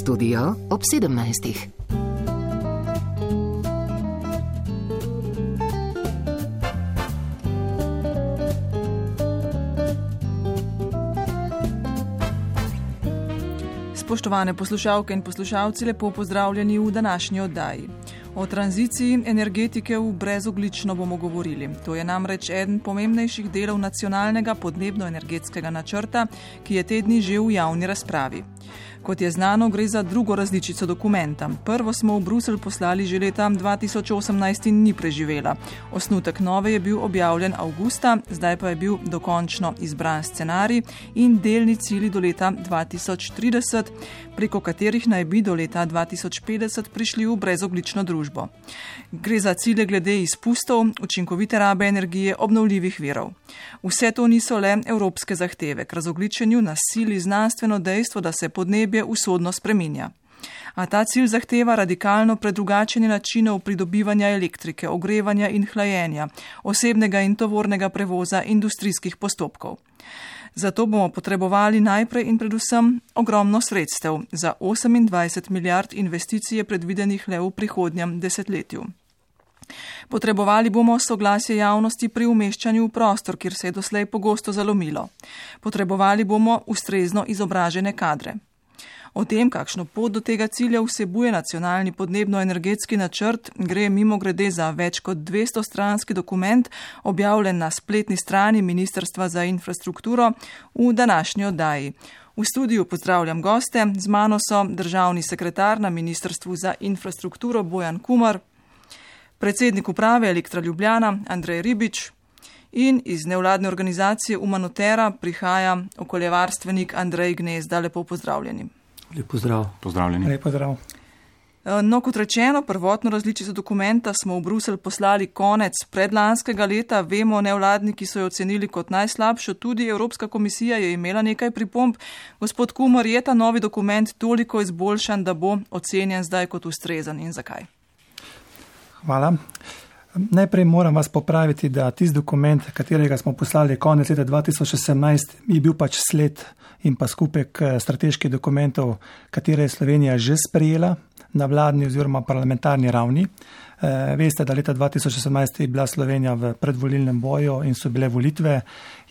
Studio ob 17. Spoštovane poslušalke in poslušalci, lepo pozdravljeni v današnji oddaji. O tranziciji energetike v brezoglično bomo govorili. To je namreč eden pomembnejših delov nacionalnega podnebno-energetskega načrta, ki je te dni že v javni razpravi. Kot je znano, gre za drugo različico dokumenta. Prvo smo v Bruselj poslali že leta 2018 in ni preživela. Osnutek nove je bil objavljen avgusta, zdaj pa je bil dokončno izbran scenarij in delni cilji do leta 2030, preko katerih naj bi do leta 2050 prišli v brezoglično družbo. Gre za cilje glede izpustov, učinkovite rabe energije, obnovljivih virov. Vse to niso le evropske zahteve. K razogličenju nas sili znanstveno dejstvo, da se podnebje usodno spreminja. A ta cilj zahteva radikalno predrugačenje načinov pridobivanja elektrike, ogrevanja in hlajenja, osebnega in tovornega prevoza, industrijskih postopkov. Zato bomo potrebovali najprej in predvsem ogromno sredstev. Za 28 milijard investicije predvidenih le v prihodnjem desetletju. Potrebovali bomo soglasje javnosti pri umeščanju v prostor, kjer se je doslej pogosto zalomilo. Potrebovali bomo ustrezno izobražene kadre. O tem, kakšno pot do tega cilja vsebuje nacionalni podnebno-energetski načrt, gre mimogrede za več kot 200-stranski dokument, objavljen na spletni strani Ministrstva za infrastrukturo v današnji oddaji. V studiu pozdravljam goste, z mano so državni sekretar na Ministrstvu za infrastrukturo Bojan Kumar, predsednik uprave Elektra Ljubljana Andrej Ribič in iz nevladne organizacije Umanotera prihaja okoljevarstvenik Andrej Gnezda. Lepo pozdravljeni. Lep pozdrav. Pozdravljeni. Lep pozdrav. No, kot rečeno, prvotno različico dokumenta smo v Bruselj poslali konec predlanskega leta. Vemo, nevladniki so jo ocenili kot najslabšo, tudi Evropska komisija je imela nekaj pripomb. Gospod Kumar, je ta novi dokument toliko izboljšan, da bo ocenjen zdaj kot ustrezen in zakaj? Hvala. Najprej moram vas popraviti, da tisti dokument, katerega smo poslali konec leta 2018, je bil pač sled in pa skupek strateških dokumentov, katere je Slovenija že sprejela na vladni oziroma parlamentarni ravni. Veste, da leta 2018 je bila Slovenija v predvolilnem boju in so bile volitve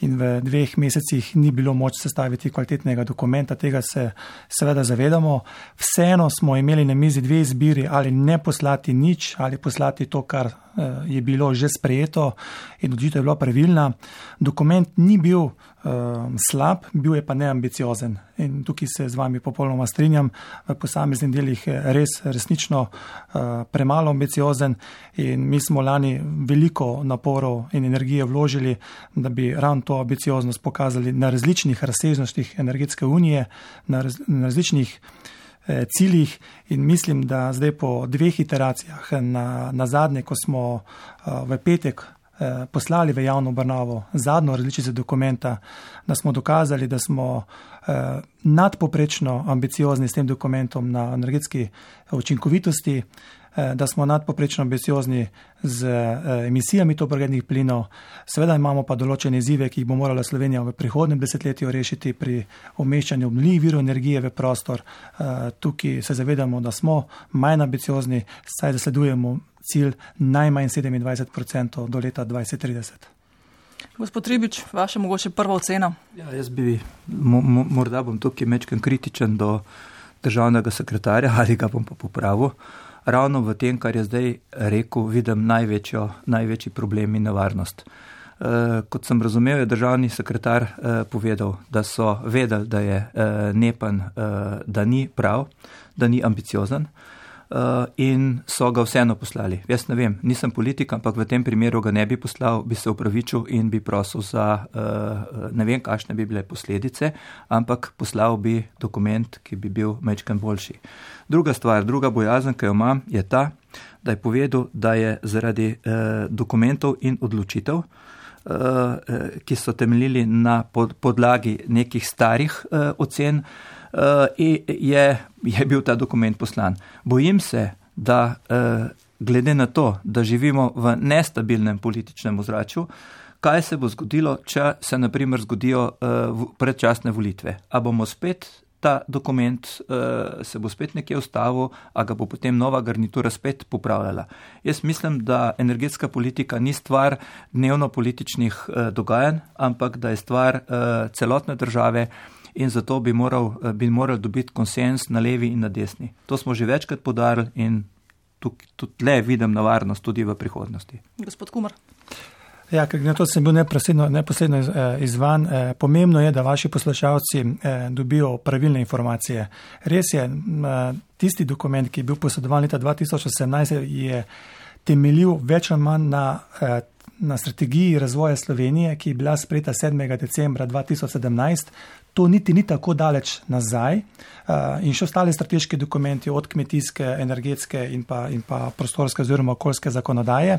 in v 2 mesecih ni bilo moč sestaviti kvalitetnega dokumenta, tega se seveda zavedamo. Vseeno smo imeli na mizi 2 izbiri, ali ne poslati nič, ali poslati to, kar je bilo že sprejeto in odločitev je bila pravilna. Dokument ni bil slab, bil je pa neambiciozen in tukaj se z vami popolnoma strinjam, v posameznih delih resnično premalo ambiciozen in mi smo lani veliko naporov in energije vložili, da bi ravno to ambicioznost pokazali na različnih razsežnostih energetske unije, na različnih ciljih in mislim, da zdaj po 2 iteracijah na zadnje, ko smo v petek poslali v javno obravnavo zadnjo različico dokumenta, da smo dokazali, da smo nadpoprečno ambiciozni s tem dokumentom na energetski učinkovitosti, da smo nadpoprečno ambiciozni z emisijami toplogrednih plinov. Seveda imamo pa določene izzive, ki jih bo morala Slovenija v prihodnjem desetletju rešiti pri umeščanju obnovljivih virov energije v prostor. Tukaj se zavedamo, da smo manj ambiciozni, saj zasledujemo cilj najmanj 27% do leta 2030. Gospod Ribič, vaša mogoče prva ocena? Ja, jaz bi, morda bom tukaj mečken kritičen do državnega sekretarja, ali ga bom pa popravil. Ravno v tem, kar je zdaj rekel, vidim največji problem in nevarnost. Kot sem razumel, je državni sekretar povedal, da so vedeli, da je NEPN, da ni prav, da ni ambiciozen in so ga vseeno poslali. Jaz ne vem, nisem politik, ampak v tem primeru ga ne bi poslal, bi se upravičil in bi prosil za, ne vem, kakšne bi bile posledice, ampak poslal bi dokument, ki bi bil mečken boljši. Druga stvar, druga bojazen, ki jo imam, je ta, da je povedal, da je zaradi dokumentov in odločitev, ki so temeljili na podlagi nekih starih ocen, je bil ta dokument poslan. Bojim se, da glede na to, da živimo v nestabilnem političnem ozračju, kaj se bo zgodilo, če se na primer zgodijo predčasne volitve? A bomo spet ta dokument se bo spet nekje ustavil, a ga bo potem nova garnitura spet popravljala. Jaz mislim, da energetska politika ni stvar dnevno političnih dogajanj, ampak da je stvar celotne države in zato bi moral dobiti konsens na levi in na desni. To smo že večkrat podarili in tudi le vidim nevarnost tudi v prihodnosti. Gospod Kumar. Ja, ker na to sem bil neposredno izvan. Pomembno je, da vaši poslušalci dobijo pravilne informacije. Res je, tisti dokument, ki je bil posredovan leta 2018, je temeljil več ali manj na strategiji razvoja Slovenije, ki je bila sprejeta 7. decembra 2017. To niti ni tako daleč nazaj in še ostale strateški dokumenti od kmetijske, energetske in pa prostorske oziroma okoljske zakonodaje.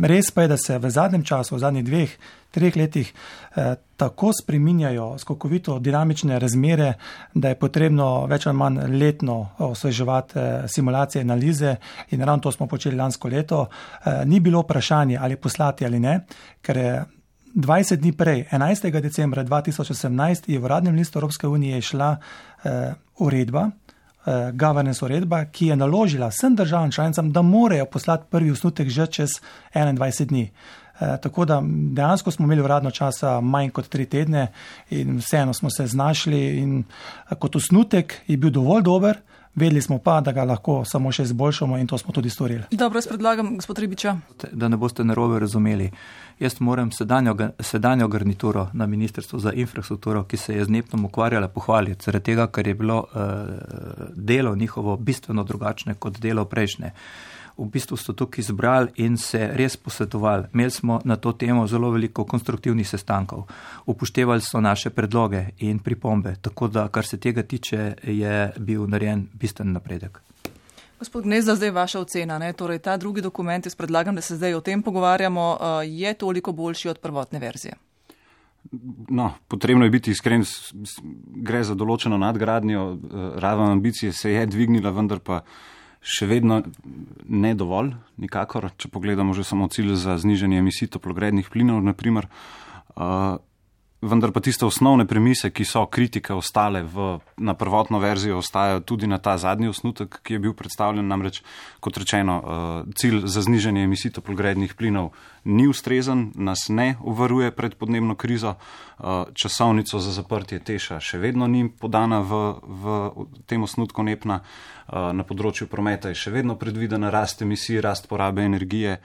Res pa je, da se v zadnjem času, v zadnjih 2-3 letih tako spreminjajo skokovito dinamične razmere, da je potrebno več ali manj letno osveževati simulacije, analize in ravno to smo počeli lansko leto. Ni bilo vprašanje, ali poslati ali ne, ker je 20 dni prej, 11. decembra 2018, je v uradnem listu Evropske unije šla uredba, governance uredba, ki je naložila vsem državam članicam, da morajo poslati prvi osnutek že čez 21 dni. Tako da dejansko smo imeli uradno časa manj kot 3 tedne in vseeno smo se znašli in kot osnutek je bil dovolj dober, vedeli smo pa, da ga lahko samo še izboljšamo in to smo tudi storili. Dobro, jaz predlagam, gospod Ribiča. Da ne boste narobe razumeli. Jaz moram sedanjo garnituro na Ministrstvu za infrastrukturo, ki se je z NEPN-om ukvarjala, pohvaliti, zaradi tega, ker je bilo delo njihovo bistveno drugačne kot delo prejšnje. V bistvu so tukaj izbrali in se res posvetovali. Imeli smo na to temo zelo veliko konstruktivnih sestankov. Upoštevali so naše predloge in pripombe, tako da, kar se tega tiče, je bil narejen bistven napredek. Gospod Gnezda, zdaj vaša ocena, ne? Torej ta drugi dokument, jaz predlagam, da se zdaj o tem pogovarjamo, je toliko boljši od prvotne verzije. No, potrebno je biti iskren, gre za določeno nadgradnjo, raven ambicije se je dvignila, vendar pa še vedno ne dovolj, nikakor, če pogledamo že samo cilj za znižanje emisij toplogrednih plinov, naprimer, vendar pa tiste osnovne premise, ki so kritike ostale na prvotno verzijo, ostajajo tudi na ta zadnji osnutek, ki je bil predstavljen, namreč, kot rečeno, cilj za znižanje emisij toplogrednih plinov ni ustrezen, nas ne uvaruje pred podnebno krizo, časovnico za zaprtje Teša še vedno ni podana v tem osnutku NEPN-a, na področju prometa je še vedno predvidena rast emisij, rast porabe energije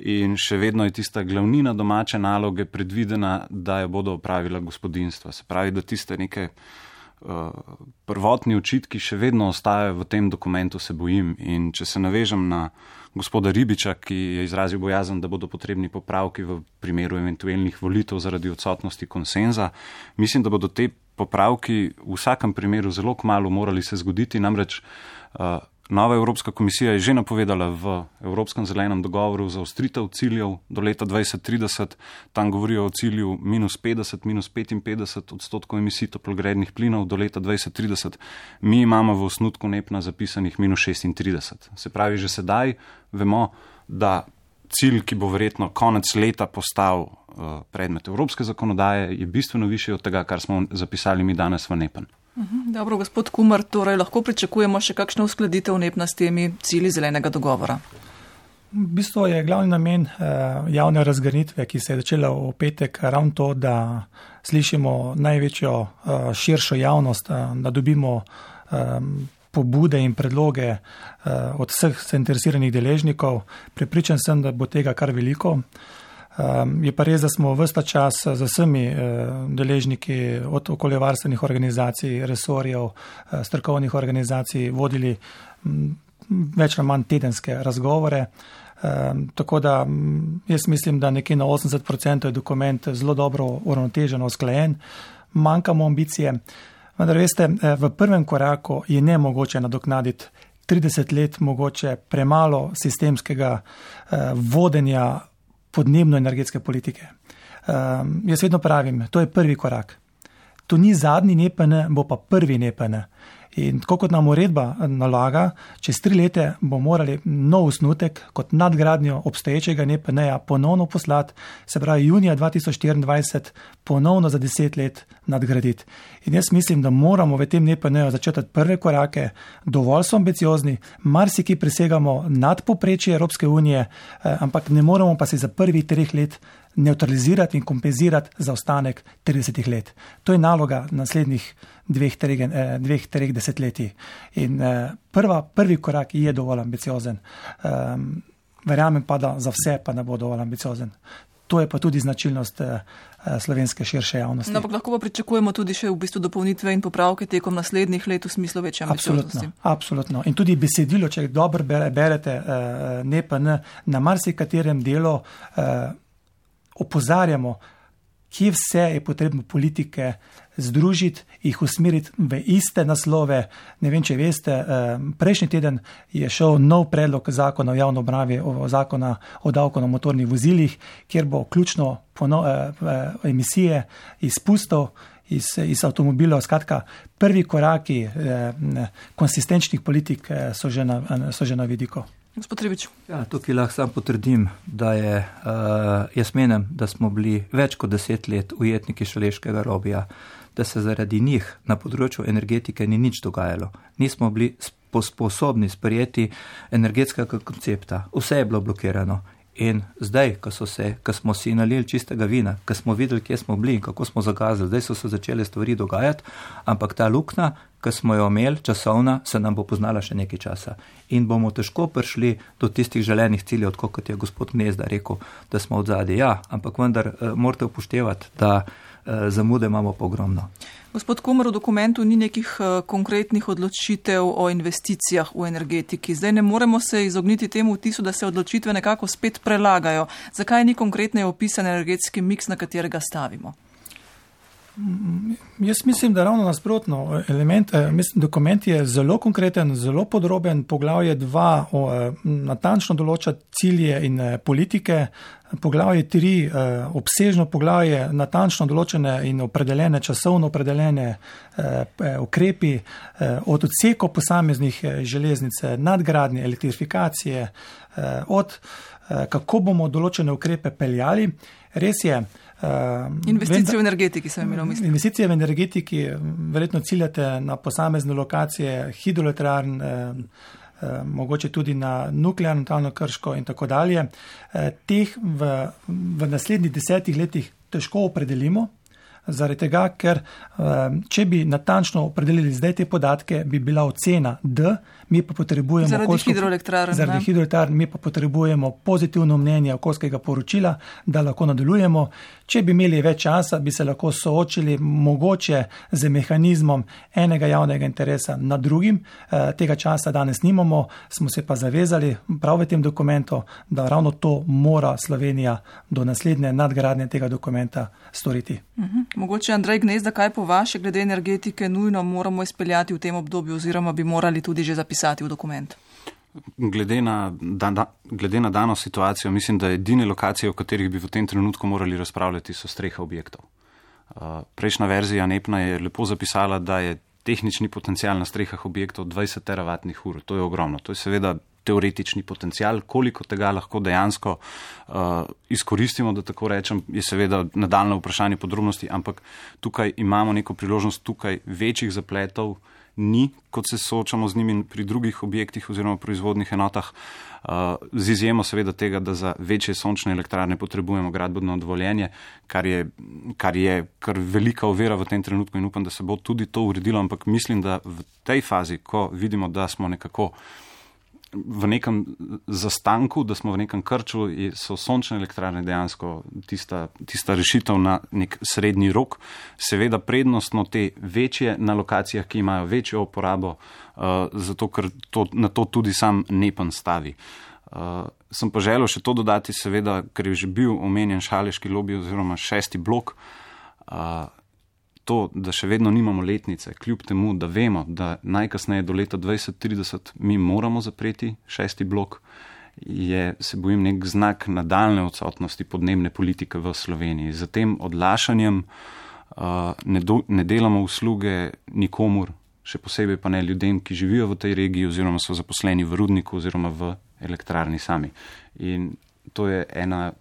in še vedno je tista glavnina domače naloge predvidena, da jo bodo opravila gospodinstva. Se pravi, da tiste neke prvotni očitki še vedno ostajajo v tem dokumentu, se bojim. In če se navežem na gospoda Ribiča, ki je izrazil bojazen, da bodo potrebni popravki v primeru eventualnih volitev zaradi odsotnosti konsenza, mislim, da bodo te popravki v vsakem primeru zelo kmalu morali se zgoditi, namreč nova Evropska komisija je že napovedala v Evropskem zelenem dogovoru za ostritev ciljev do leta 2030, tam govorijo o cilju -50, -55% emisij toplogrednih plinov do leta 2030, mi imamo v osnutku NEPN-a zapisanih -36. Se pravi, že sedaj vemo, da cilj, ki bo verjetno konec leta postal predmet evropske zakonodaje, je bistveno višji od tega, kar smo zapisali mi danes v NEPN. Dobro, gospod Kumar, torej lahko pričakujemo še kakšno uskladitev NEPN-a s temi cilji zelenega dogovora? V bistvu je glavni namen javne razgrnitve, ki se je začela v petek, ravno to, da slišimo največjo širšo javnost, da dobimo pobude in predloge od vseh zainteresiranih deležnikov. Prepričan sem, da bo tega kar veliko. Je pa res, da smo vsta čas z vsemi deležniki od okoljevarstvenih organizacij, resorjev, strokovnih organizacij vodili več ali manj tedenske razgovore. Tako da jaz mislim, da nekje na 80% je dokument zelo dobro uravnotežen, usklajen, manjkamo ambicije. Vendar veste, v prvem koraku je nemogoče nadoknaditi 30 let mogoče premalo sistemskega vodenja podnebno-energetske politike. Jaz vedno pravim, to je prvi korak. To ni zadnji NEPN, bo pa prvi NEPN. In tako kot nam uredba nalaga, čez 3 leta bo morali nov osnutek kot nadgradnjo obstoječega NEPN-ja ponovno poslati, se pravi junija 2024 ponovno za 10 let nadgraditi. In jaz mislim, da moramo v tem NEPN-ju začeti prve korake, dovolj so ambiciozni, marsikaj presegamo nad povprečje Evropske unije, ampak ne moramo pa se za prvih 3 let neutralizirati in kompenzirati zaostanek 30 let. To je naloga naslednjih 2-3 desetletij. In prvi korak je dovolj ambiciozen. Verjamem pa, da za vse pa ne bo dovolj ambiciozen. To je pa tudi značilnost slovenske širše javnosti. No, ampak lahko pa pričakujemo tudi še v bistvu dopolnitve in popravke tekom naslednjih let v smislu večje ambicioznosti. Absolutno. In tudi besedilo, če dobro berete NEPN, na marsikaterem delu opozarjamo, kje vse je potrebno politike združiti, jih usmeriti v iste naslove. Ne vem, če veste, prejšnji teden je šel nov predlog zakona o javni obravnavi, zakona o davku na motornih vozilih, kjer bo ključno emisije izpustov iz avtomobilov. Skratka, prvi koraki konsistenčnih politik so že na vidiku. Gospod Ribič. Ja, tukaj lahko sam potrdim, da jaz menim, da smo bili več kot 10 let ujetniki šaleškega lobija, da se zaradi njih na področju energetike ni nič dogajalo. Nismo bili sposobni sprejeti energetskega koncepta. Vse je bilo blokirano. In zdaj, ko smo si nalili čistega vina, ko smo videli, kje smo bili in kako smo zagazili, zdaj so se začele stvari dogajati, ampak ta luknja, ko smo jo imeli, časovna, se nam bo poznala še nekaj časa. In bomo težko prišli do tistih želenih ciljev, kot je gospod Gnezda rekel, da smo odzadaj. Ja, ampak vendar morate upoštevati, da zamude imamo pa ogromno. Gospod Kumer, v dokumentu ni nekih konkretnih odločitev o investicijah v energetiki. Zdaj ne moremo se izogniti temu vtisu, da se odločitve nekako spet prelagajo. Zakaj ni konkretneje opisan energetski miks, na katerega stavimo? Jaz mislim, da ravno nasprotno. Dokument je zelo konkreten, zelo podroben. Poglavje 2 natančno določa cilje in politike. Poglavje 3 obsežno poglavje, natančno določene in opredeljene, časovno opredeljene ukrepi od odsekov posameznih železnice, nadgradnje, elektrifikacije, od kako bomo določene ukrepe peljali. Res je. Investicije v energetiki sem imel v mislih. Investicije v energetiki, verjetno ciljate na posamezne lokacije hidroelektrarn, mogoče tudi na nuklearno talno Krško in tako dalje. Teh v naslednjih 10 letih težko opredelimo, zaradi tega, ker če bi natančno opredelili zdaj te podatke, bi bila ocena D, mi pa potrebujemo zaradi hidroelektrarn, mi pa potrebujemo pozitivno mnenje okoljskega poročila, da lahko nadaljujemo. Če bi imeli več časa, bi se lahko soočili mogoče z mehanizmom enega javnega interesa nad drugim. Tega časa danes nimamo, smo se pa zavezali prav v tem dokumentu, da ravno to mora Slovenija do naslednje nadgradnje tega dokumenta storiti. Mogoče Andrej Gnezda, kaj po vaše glede energetike nujno moramo izpeljati v tem obdobju oziroma bi morali tudi že zapisati v dokument? Glede na dano situacijo, mislim, da edine lokacije, o katerih bi v tem trenutku morali razpravljati, so strehe objektov. Prejšnja verzija NEPN-a je lepo zapisala, da je tehnični potencial na strehah objektov 20 teravatnih ur. To je ogromno. To je seveda teoretični potencial. Koliko tega lahko dejansko izkoristimo, da tako rečem, je seveda nadaljnje vprašanje podrobnosti, ampak tukaj imamo neko priložnost, tukaj večjih zapletov ni, kot se soočamo z njimi pri drugih objektih oziroma proizvodnih enotah, z izjemo seveda tega, da za večje sončne elektrarne potrebujemo gradbeno dovoljenje, kar je velika ovira v tem trenutku in upam, da se bo tudi to uredilo, ampak mislim, da v tej fazi, ko vidimo, da smo nekako v nekem zastanku, da smo v nekem krču, so sončne elektrarne dejansko tista rešitev na nek srednji rok. Seveda prednostno te večje na lokacijah, ki imajo večjo uporabo, zato ker na to tudi sam NEPN stavi. Sem pa želel še to dodati, seveda, ker je že bil omenjen šaleški lobi oziroma 6. blok, to, da še vedno nimamo letnice, kljub temu, da vemo, da najkasneje do leta 2030 mi moramo zapreti 6. blok, se bojim nek znak nadaljne odsotnosti podnebne politike v Sloveniji. Z tem odlašanjem ne delamo usluge nikomur, še posebej pa ne ljudem, ki živijo v tej regiji oziroma so zaposleni v rudniku oziroma v elektrarni sami. In to je ena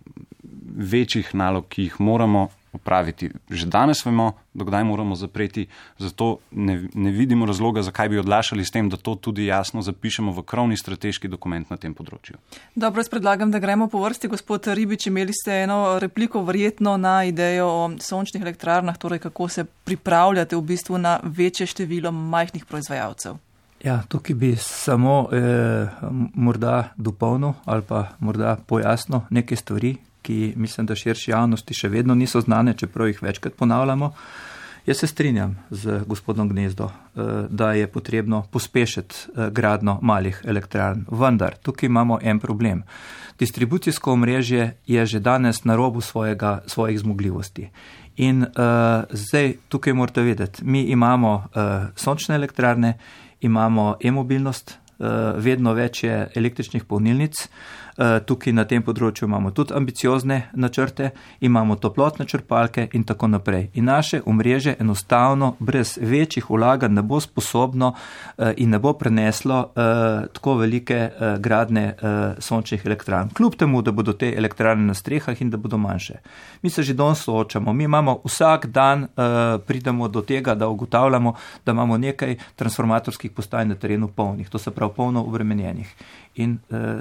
večjih nalog, ki jih moramo opraviti. Že danes vemo, dokdaj moramo zapreti, zato ne vidimo razloga, zakaj bi odlašali s tem, da to tudi jasno zapišemo v krovni strateški dokument na tem področju. Dobro, jaz predlagam, da gremo po vrsti. Gospod Ribič, imeli ste eno repliko verjetno na idejo o sončnih elektrarnah, torej kako se pripravljate v bistvu na večje število majhnih proizvajalcev. Ja, tukaj bi samo morda dopolnil ali pa morda pojasnil neke stvari, ki mislim, da širši javnosti še vedno niso znane, čeprav jih večkrat ponavljamo. Jaz se strinjam z gospodom Gnezdo, da je potrebno pospešiti gradnjo malih elektrarn. Vendar, tukaj imamo en problem. Distribucijsko omrežje je že danes na robu svojih zmogljivosti. In zdaj tukaj morate vedeti, mi imamo sončne elektrarne, imamo e-mobilnost, vedno več je električnih polnilnic, tukaj na tem področju imamo tudi ambiciozne načrte, imamo toplotne črpalke in tako naprej. In naše omrežje enostavno brez večjih vlaganj ne bo sposobno in ne bo preneslo tako velike gradnje sončnih elektrarn. Kljub temu, da bodo te elektrarne na strehah in da bodo manjše. Mi se že danes soočamo, mi imamo vsak dan pridemo do tega, da ugotavljamo, da imamo nekaj transformatorskih postaj na terenu polnih, to se pravi polno obremenjenih. In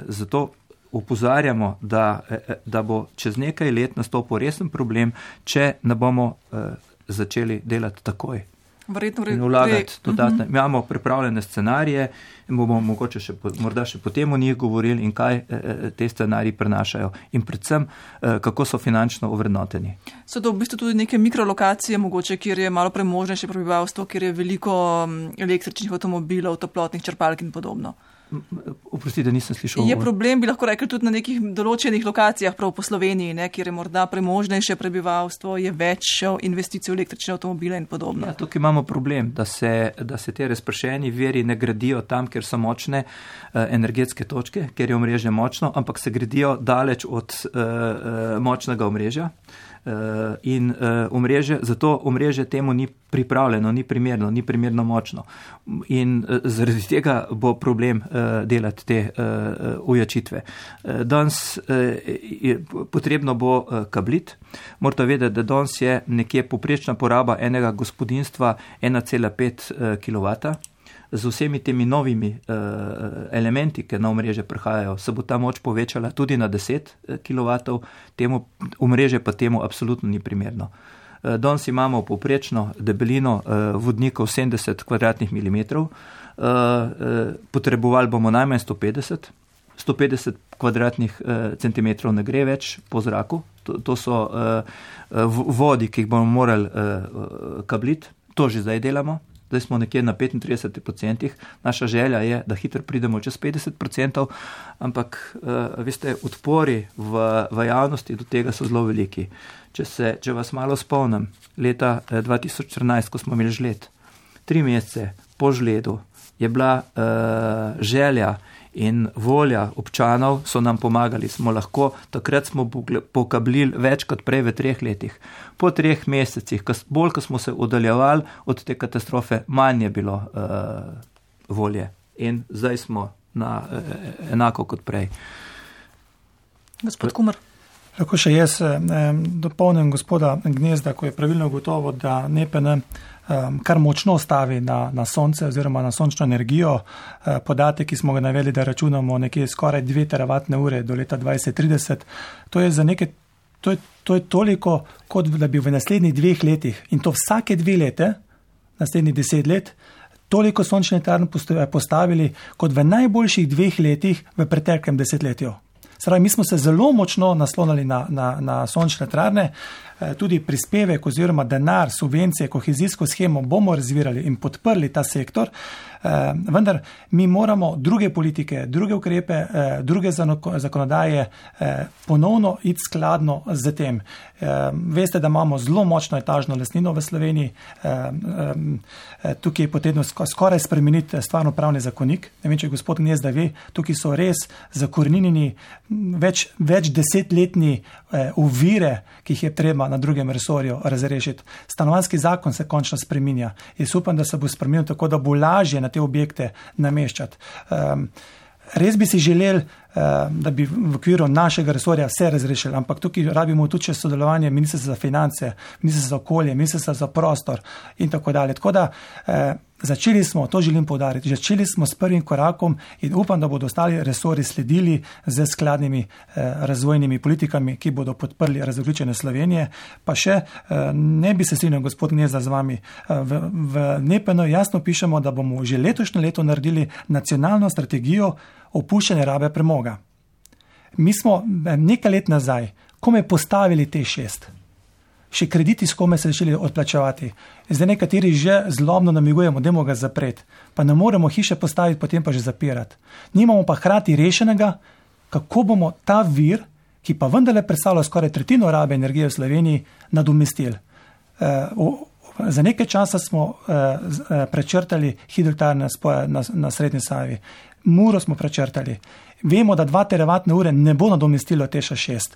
zato opozarjamo, da bo čez nekaj let nastopil resen problem, če ne bomo začeli delati takoj. In vlagati dodatne. Mi imamo pripravljene scenarije in bomo mogoče morda še potem o njih govorili in kaj te scenariji prenašajo in predvsem, kako so finančno ovrednoteni. So to v bistvu tudi neke mikrolokacije, mogoče, kjer je malo premožnejše prebivalstvo, kjer je veliko električnih avtomobilov, toplotnih črpalk in podobno. Oprostite, nisem slišal. Je problem, bi lahko rekli, tudi na nekih določenih lokacijah, prav po Sloveniji, kjer je morda premožnejše prebivalstvo, je več investicij v električne avtomobile in podobno. Ja, tukaj imamo problem, da se te razpršeni viri ne gradijo tam, kjer so močne energetske točke, kjer je omrežje močno, ampak se gradijo daleč od močnega omrežja. In omrežje, zato omrežje temu ni pripravljeno, ni primerno močno. In zaradi tega bo problem delati te ujačitve. Danes potrebno bo kablit. Morate vedeti, da danes je nekje povprečna poraba enega gospodinjstva 1,5 kW. Z vsemi temi novimi elementi, ki na omrežje prihajajo, se bo ta moč povečala tudi na 10 kW, omrežje pa temu absolutno ni primerno. Danes imamo povprečno debelino vodnikov 70 km2, potrebovali bomo najmanj 150 cm2 ne gre več po zraku, to so vodi, ki jih bomo morali kabliti, to že zdaj delamo. Zdaj smo nekje na 35%. Naša želja je, da hitro pridemo čez 50%, ampak veste, odpori v javnosti do tega so zelo veliki. Če vas malo spomnim, leta 2014, ko smo imeli žled, 3 mesece po žledu je bila želja in volja občanov, so nam pomagali, takrat smo pokablili več kot prej v 3 letih. Po 3 mesecih, bolj ko smo se oddaljevali od te katastrofe, manj je bilo volje. In zdaj smo enako kot prej. Gospod Kumer. Lahko še jaz dopolnim gospoda Gnezda, ko je pravilno ugotovil, da NEPN kar močno stavi na sonce oziroma na sončno energijo. Podatek, ki smo ga navedli, da računamo nekje skoraj 2 teravatne ure do leta 2030, to je toliko, kot da bi v naslednjih 2 letih, in to vsake 2 lete, naslednjih 10 let, toliko sončne elektrarne postavili, kot v najboljših 2 letih v preteklem desetletju. Mi smo se zelo močno naslonili na sončne elektrarne, tudi prispevek oziroma denar, subvencije, kohezijsko shemo bomo razvirali in podprli ta sektor, vendar mi moramo druge politike, druge ukrepe, druge zakonodaje ponovno iti skladno z tem. Veste, da imamo zelo močno etažno lastnino v Sloveniji, tukaj je potrebno skoraj spremeniti stvarno-pravni zakonik. Ne vem, če gospod Gnezda ve, tukaj so res zakoreninjeni več desetletni ovire, ki jih je treba na drugem resorju razrešiti. Stanovanjski zakon se končno spreminja. Jaz upam, da se bo spremenil tako, da bo lažje na te objekte nameščati. Res bi si želeli, da bi v okviru našega resorja vse razrešili, ampak tukaj rabimo tudi še sodelovanje Ministrstva za finance, Ministrstva za okolje, Ministrstva za prostor in tako dalje. Tako da začeli smo, to želim poudariti, začeli smo s prvim korakom in upam, da bodo ostali resorji sledili z skladnimi razvojnimi politikami, ki bodo podprli razogljičenje Slovenije. Pa še ne bi se strinjal, gospod Gnezda, z vami. V NEPN jasno pišemo, da bomo že letošnje leto naredili nacionalno strategijo opuščanja rabe premoga. Mi smo nekaj let nazaj kome postavili T6. Še krediti s kome se začeli odplačevati. Zdaj nekateri že zlobno namigujemo, dajmo ga zapreti. Pa ne moremo hiše postaviti, potem pa že zapirati. Nimamo pa hkrati rešenega, kako bomo ta vir, ki pa vendarle predstavlja skoraj tretjino rabe energije v Sloveniji, nadomestili. Za nekaj časa smo prečrtali hidroelektrarne na Srednji Savi. Muro smo prečrtali. Vemo, da 2 teravatne ure ne bo nadomestilo Teša 6.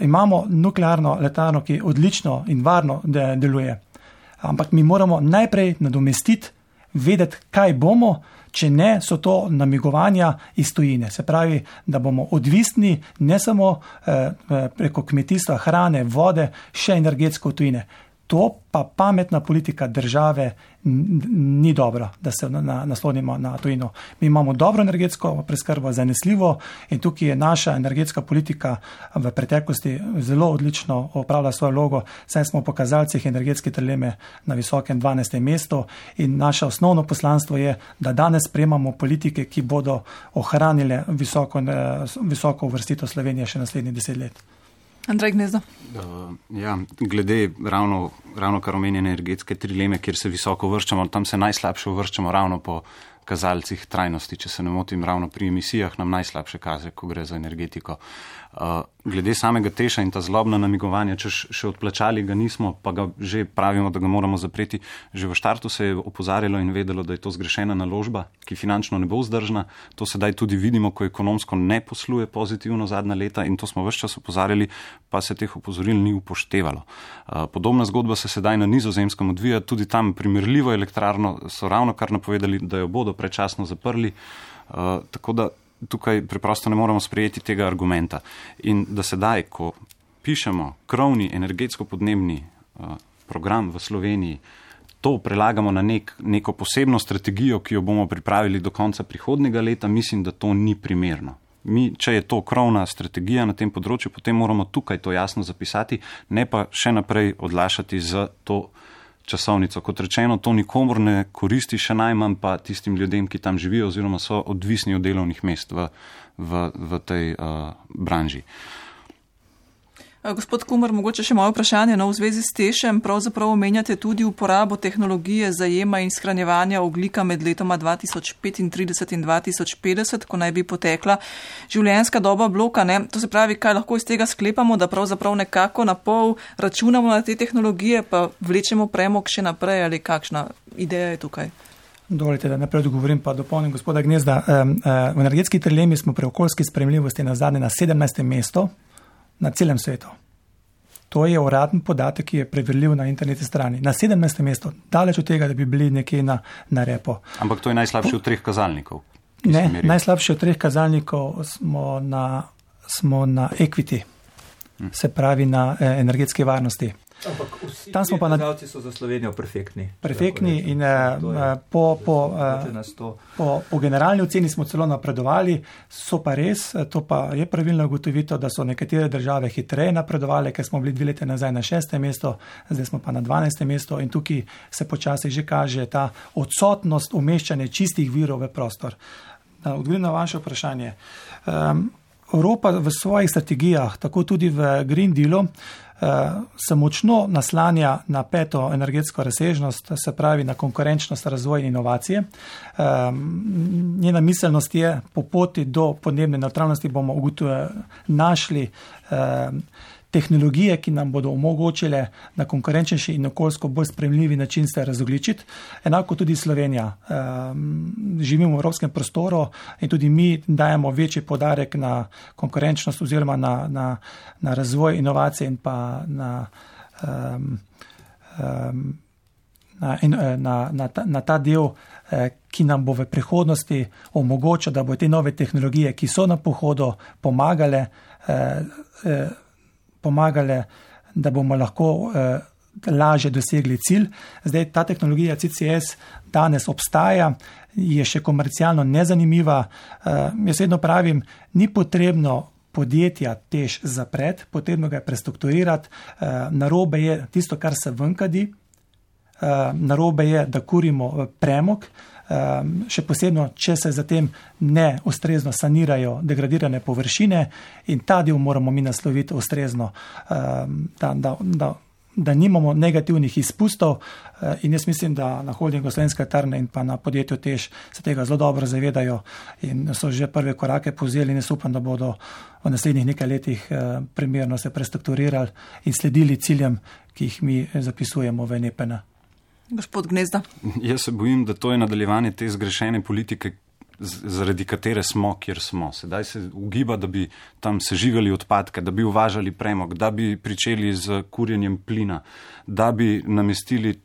Imamo nuklearno elektrarno, ki odlično in varno deluje. Ampak mi moramo najprej nadomestiti, vedeti, kaj bomo, če ne, so to namigovanja iz tujine. Se pravi, da bomo odvisni ne samo preko kmetijstva, hrane, vode, še energetsko v tujine. To pa pametna politika države ni dobro, da se naslonimo na tujino. Mi imamo dobro energetsko preskrbo, zanesljivo, in tukaj je naša energetska politika v preteklosti zelo odlično opravila svojo vlogo, saj smo po kazalcih energetske trileme na visokem 12. mestu in naše osnovno poslanstvo je, da danes sprejemamo politike, ki bodo ohranile visoko uvrstitev Slovenije še naslednjih 10 let. Andrej Gnezda. Glede ravno kar omenjene energetske trileme, kjer se visoko uvrščamo, tam se najslabše uvrščamo ravno po kazalcih trajnosti, če se ne motim, ravno pri emisijah nam najslabše kaže, ko gre za energetiko. Glede samega Teša in ta zlobna namigovanja, če še odplačali ga nismo, pa ga že pravimo, da ga moramo zapreti. Že v štartu se je opozarjalo in vedelo, da je to zgrešena naložba, ki finančno ne bo vzdržna. To sedaj tudi vidimo, ko ekonomsko ne posluje pozitivno zadnja leta, in to smo ves čas opozarjali, pa se teh opozoril ni upoštevalo. Podobna zgodba se sedaj na Nizozemskem odvija, tudi tam primerljivo elektrarno so ravno kar napovedali, da jo bodo predčasno zaprli, tako da tukaj preprosto ne moremo sprejeti tega argumenta. In da sedaj, ko pišemo krovni energetsko-podnebni program v Sloveniji, to prelagamo na neko posebno strategijo, ki jo bomo pripravili do konca prihodnjega leta, mislim, da to ni primerno. Če je to krovna strategija na tem področju, potem moramo tukaj to jasno zapisati, ne pa še naprej odlašati za to časovnico. Kot rečeno, to nikomor ne koristi, še najmanj pa tistim ljudem, ki tam živijo oziroma so odvisni od delovnih mest v tej branži. Gospod Kumer, mogoče še moje vprašanje. V zvezi s Tešem pravzaprav omenjate tudi uporabo tehnologije zajema in shranjevanja ogljika med letoma 2035 in 2050, ko naj bi potekla življenjska doba bloka. Ne? To se pravi, kaj lahko iz tega sklepamo, da pravzaprav nekako na pol računamo na te tehnologije, pa vlečemo premog še naprej, ali kakšna ideja je tukaj? Dovolite, da najprej odgovorim, pa dopolnim gospoda Gnezda. V energetski trilemi smo pri okoljski sprejemljivosti nazadnje na 17. mestu na celem svetu. To je uradni podatek, ki je preverljiv na internetni strani. Na 17. mestu, daleč od tega, da bi bili nekje na repo. Ampak to je najslabši od 3 kazalnikov. Ne, najslabši od 3 kazalnikov smo na equity, se pravi na energetski varnosti. Ampak vsi kazalci so za Slovenijo perfektni. Perfektni in po generalni oceni smo celo napredovali, so pa res, to pa je pravilno ugotovitev, da so nekatere države hitreje napredovali, ker smo bili 2 leta nazaj na 6. mesto, zdaj smo pa na 12. mesto in tukaj se počasi že kaže ta odsotnost umeščanja čistih virov v prostor. Odgovorim na vaše vprašanje. Evropa v svojih strategijah, tako tudi v Green Dealu, se močno naslanja na 5. energetsko razsežnost, se pravi na konkurenčnost, razvoj in inovacije. Njena miselnost je, po poti do podnebne nevtralnosti bomo našli tehnologije, ki nam bodo omogočile na konkurenčnejši in okoljsko bolj sprejemljivi način se razogljičiti. Enako tudi Slovenija. Živimo v evropskem prostoru in tudi mi dajemo večji poudarek na konkurenčnost oziroma na razvoj inovacije in pa na ta del, ki nam bo v prihodnosti omogočil, da bo te nove tehnologije, ki so na pohodu, pomagale, da bomo lahko lažje dosegli cilj. Zdaj, ta tehnologija CCS danes obstaja, je še komercialno nezanimiva. Jaz vedno pravim, ni potrebno podjetja tež zapreti, potrebno ga je prestrukturirati. Narobe je tisto, kar se venkadi, narobe je, da kurimo premog, še posebno, če se zatem ne ustrezno sanirajo degradirane površine, in ta del moramo mi nasloviti ustrezno, da nimamo negativnih izpustov, in jaz mislim, da na holdingu Slovenske elektrarne in pa na podjetju Tež se tega zelo dobro zavedajo in so že prve korake povzeli in jaz upam, da bodo v naslednjih nekaj letih primerno se prestrukturirali in sledili ciljem, ki jih mi zapisujemo v NEPN. Gospod Gnezda. Jaz se bojim, da to je nadaljevanje te zgrešene politike, zaradi katere smo, kjer smo. Sedaj se ugiba, da bi tam sežigali odpadke, da bi uvažali premog, da bi pričeli z kurjenjem plina, da bi namestili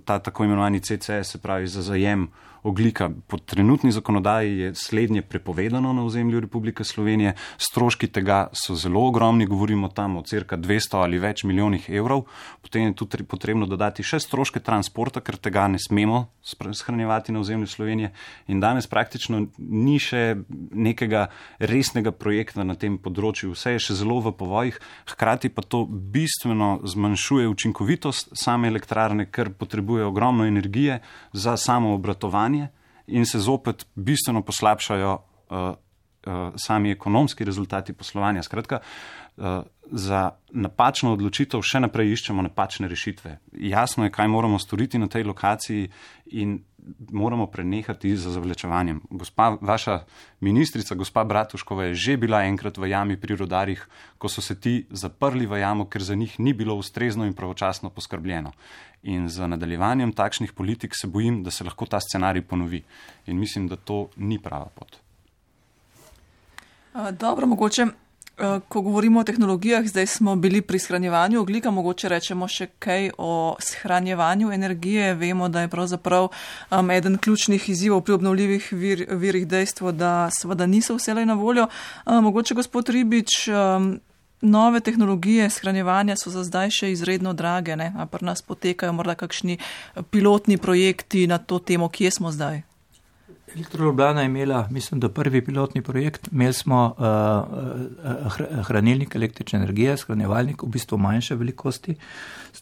ta tako imenovani CCS, se pravi za zajem ogljika. Po trenutni zakonodaji je slednje prepovedano na ozemlju Republike Slovenije. Stroški tega so zelo ogromni, govorimo tam o cirka 200 ali več milijonih evrov. Potem je tudi potrebno dodati še stroške transporta, ker tega ne smemo shranjevati na ozemlju Slovenije. In danes praktično ni še nekega resnega projekta na tem področju. Vse je še zelo v povojih, hkrati pa to bistveno zmanjšuje učinkovitost same elektrarne, ker potrebuje ogromno energije za samo obratovanje in se zopet bistveno poslabšajo sami ekonomski rezultati poslovanja. Skratka, za napačno odločitev še naprej iščemo napačne rešitve. Jasno je, kaj moramo storiti na tej lokaciji in moramo prenehati z zavlečevanjem. Vaša ministrica, gospa Bratuškova, je že bila enkrat v jami pri rudarjih, ko so se ti zaprli v jamo, ker za njih ni bilo ustrezno in pravočasno poskrbljeno. In z nadaljevanjem takšnih politik se bojim, da se lahko ta scenarij ponovi. In mislim, da to ni prava pot. Dobro, mogoče, ko govorimo o tehnologijah, zdaj smo bili pri shranjevanju ogljika, mogoče rečemo še kaj o shranjevanju energije. Vemo, da je pravzaprav eden ključnih izzivov pri obnovljivih virih dejstvo, da seveda niso vselej na voljo. Mogoče, gospod Ribič, nove tehnologije shranjevanja so za zdaj še izredno drage, ne? A pri nas potekajo morda kakšni pilotni projekti na to temo, kje smo zdaj? Elektro Ljubljana je imela, mislim, da prvi pilotni projekt. Imeli smo hranilnik električne energije, shranjevalnik v bistvu manjše velikosti,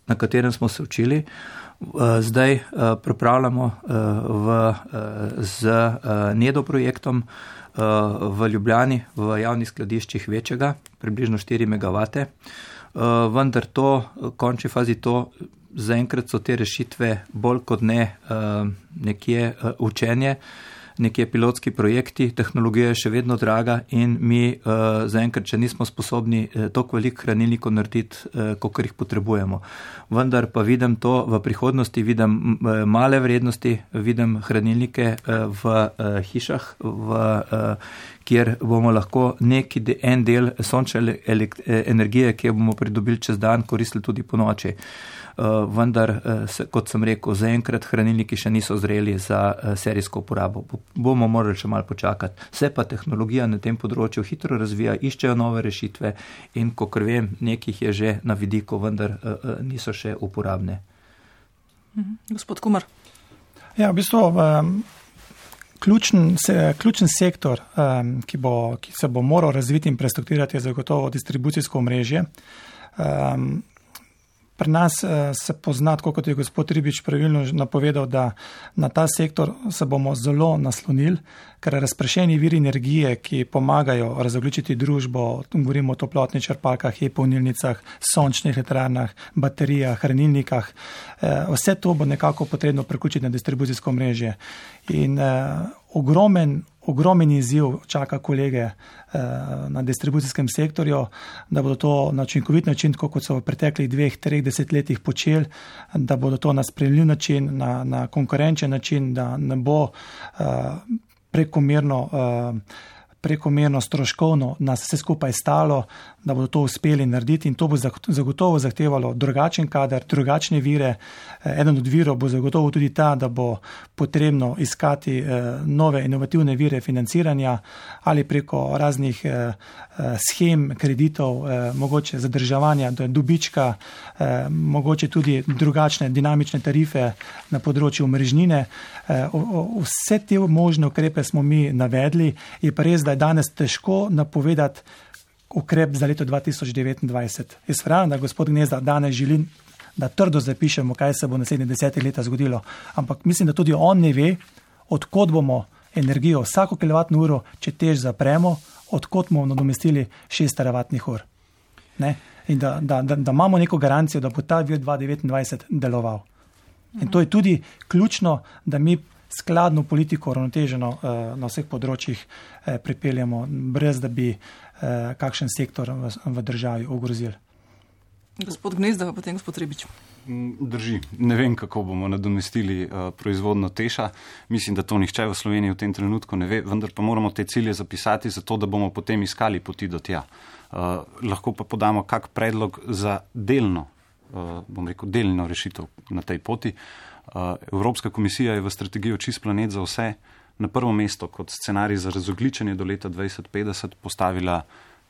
na katerem smo se učili. Zdaj pripravljamo z NEDO projektom v Ljubljani, v javnih skladiščih večjega, približno 4 MW. Vendar to, v končni fazi to, zaenkrat so te rešitve bolj kot ne nekje učenje, nekje pilotski projekti, tehnologija je še vedno draga in mi zaenkrat, če nismo sposobni toliko veliko hranilnikov narediti, kolikor jih potrebujemo. Vendar pa vidim to v prihodnosti, vidim male vrednosti, vidim hranilnike v hišah, kjer bomo lahko en del sončne energije, ki jo bomo pridobili čez dan, koristili tudi po noči. Vendar, kot sem rekel, zaenkrat hranilniki še niso zreli za serijsko uporabo. Bomo morali še malo počakati. Vse pa tehnologija na tem področju hitro razvija, iščejo nove rešitve in, kakor vem, nekih je že na vidiku, vendar niso še uporabne. Gospod Kumar. Ja, v bistvu ključen sektor, ki se bo moral razviti in prestrukturirati, je zagotovo distribucijsko omrežje. Pri nas se pozna, tako kot je gospod Ribič pravilno napovedal, da na ta sektor se bomo zelo naslonili, ker razpršeni viri energije, ki pomagajo razogljičiti družbo, govorimo o toplotnih črpalkah, e-polnilnicah, sončnih elektrarnah, baterijah, hranilnikah, vse to bo nekako potrebno priključiti na distribucijsko omrežje. In ogromen izziv čaka kolege na distribucijskem sektorju, da bodo to na učinkovit način, tako kot so v preteklih 2-3 desetletjih počeli, da bodo to na sprejemljiv način, na konkurenčen način, da ne bo prekomerno stroškovno nas vse skupaj stalo, da bodo to uspeli narediti, in to bo zagotovo zahtevalo drugačen kader, drugačne vire. Eden od virov bo zagotovo tudi ta, da bo potrebno iskati nove inovativne vire financiranja ali preko raznih schem, kreditov, mogoče zadrževanja dobička, mogoče tudi drugačne dinamične tarife na področju omrežnine. Vse te možne ukrepe smo mi navedli, je pa res, da je danes težko napovedati ukrep za leto 2029. Jaz verjamem, da gospod Gnezda danes želi, da trdo zapišemo, kaj se bo naslednjih 10 let zgodilo, ampak mislim, da tudi on ne ve, odkot bomo energijo vsako kilovatno uro, če tež zapremo, odkot bomo nadomestili 6 teravatnih ur. Ne? In da imamo neko garancijo, da bo ta vir 2029 deloval. In to je tudi ključno, da mi skladno politiko uravnoteženo na vseh področjih pripeljamo, brez da bi kakšen sektor v državi ogrozili. Gospod Gnezda, pa potem gospod Ribič. Drži. Ne vem, kako bomo nadomestili proizvodno Teša. Mislim, da to nihče v Sloveniji v tem trenutku ne ve, vendar pa moramo te cilje zapisati, zato da bomo potem iskali poti do tja. Lahko pa podamo kak predlog za delno rešitev na tej poti. Evropska komisija je v strategijo Čist planet za vse na prvo mesto kot scenarij za razogljičenje do leta 2050 postavila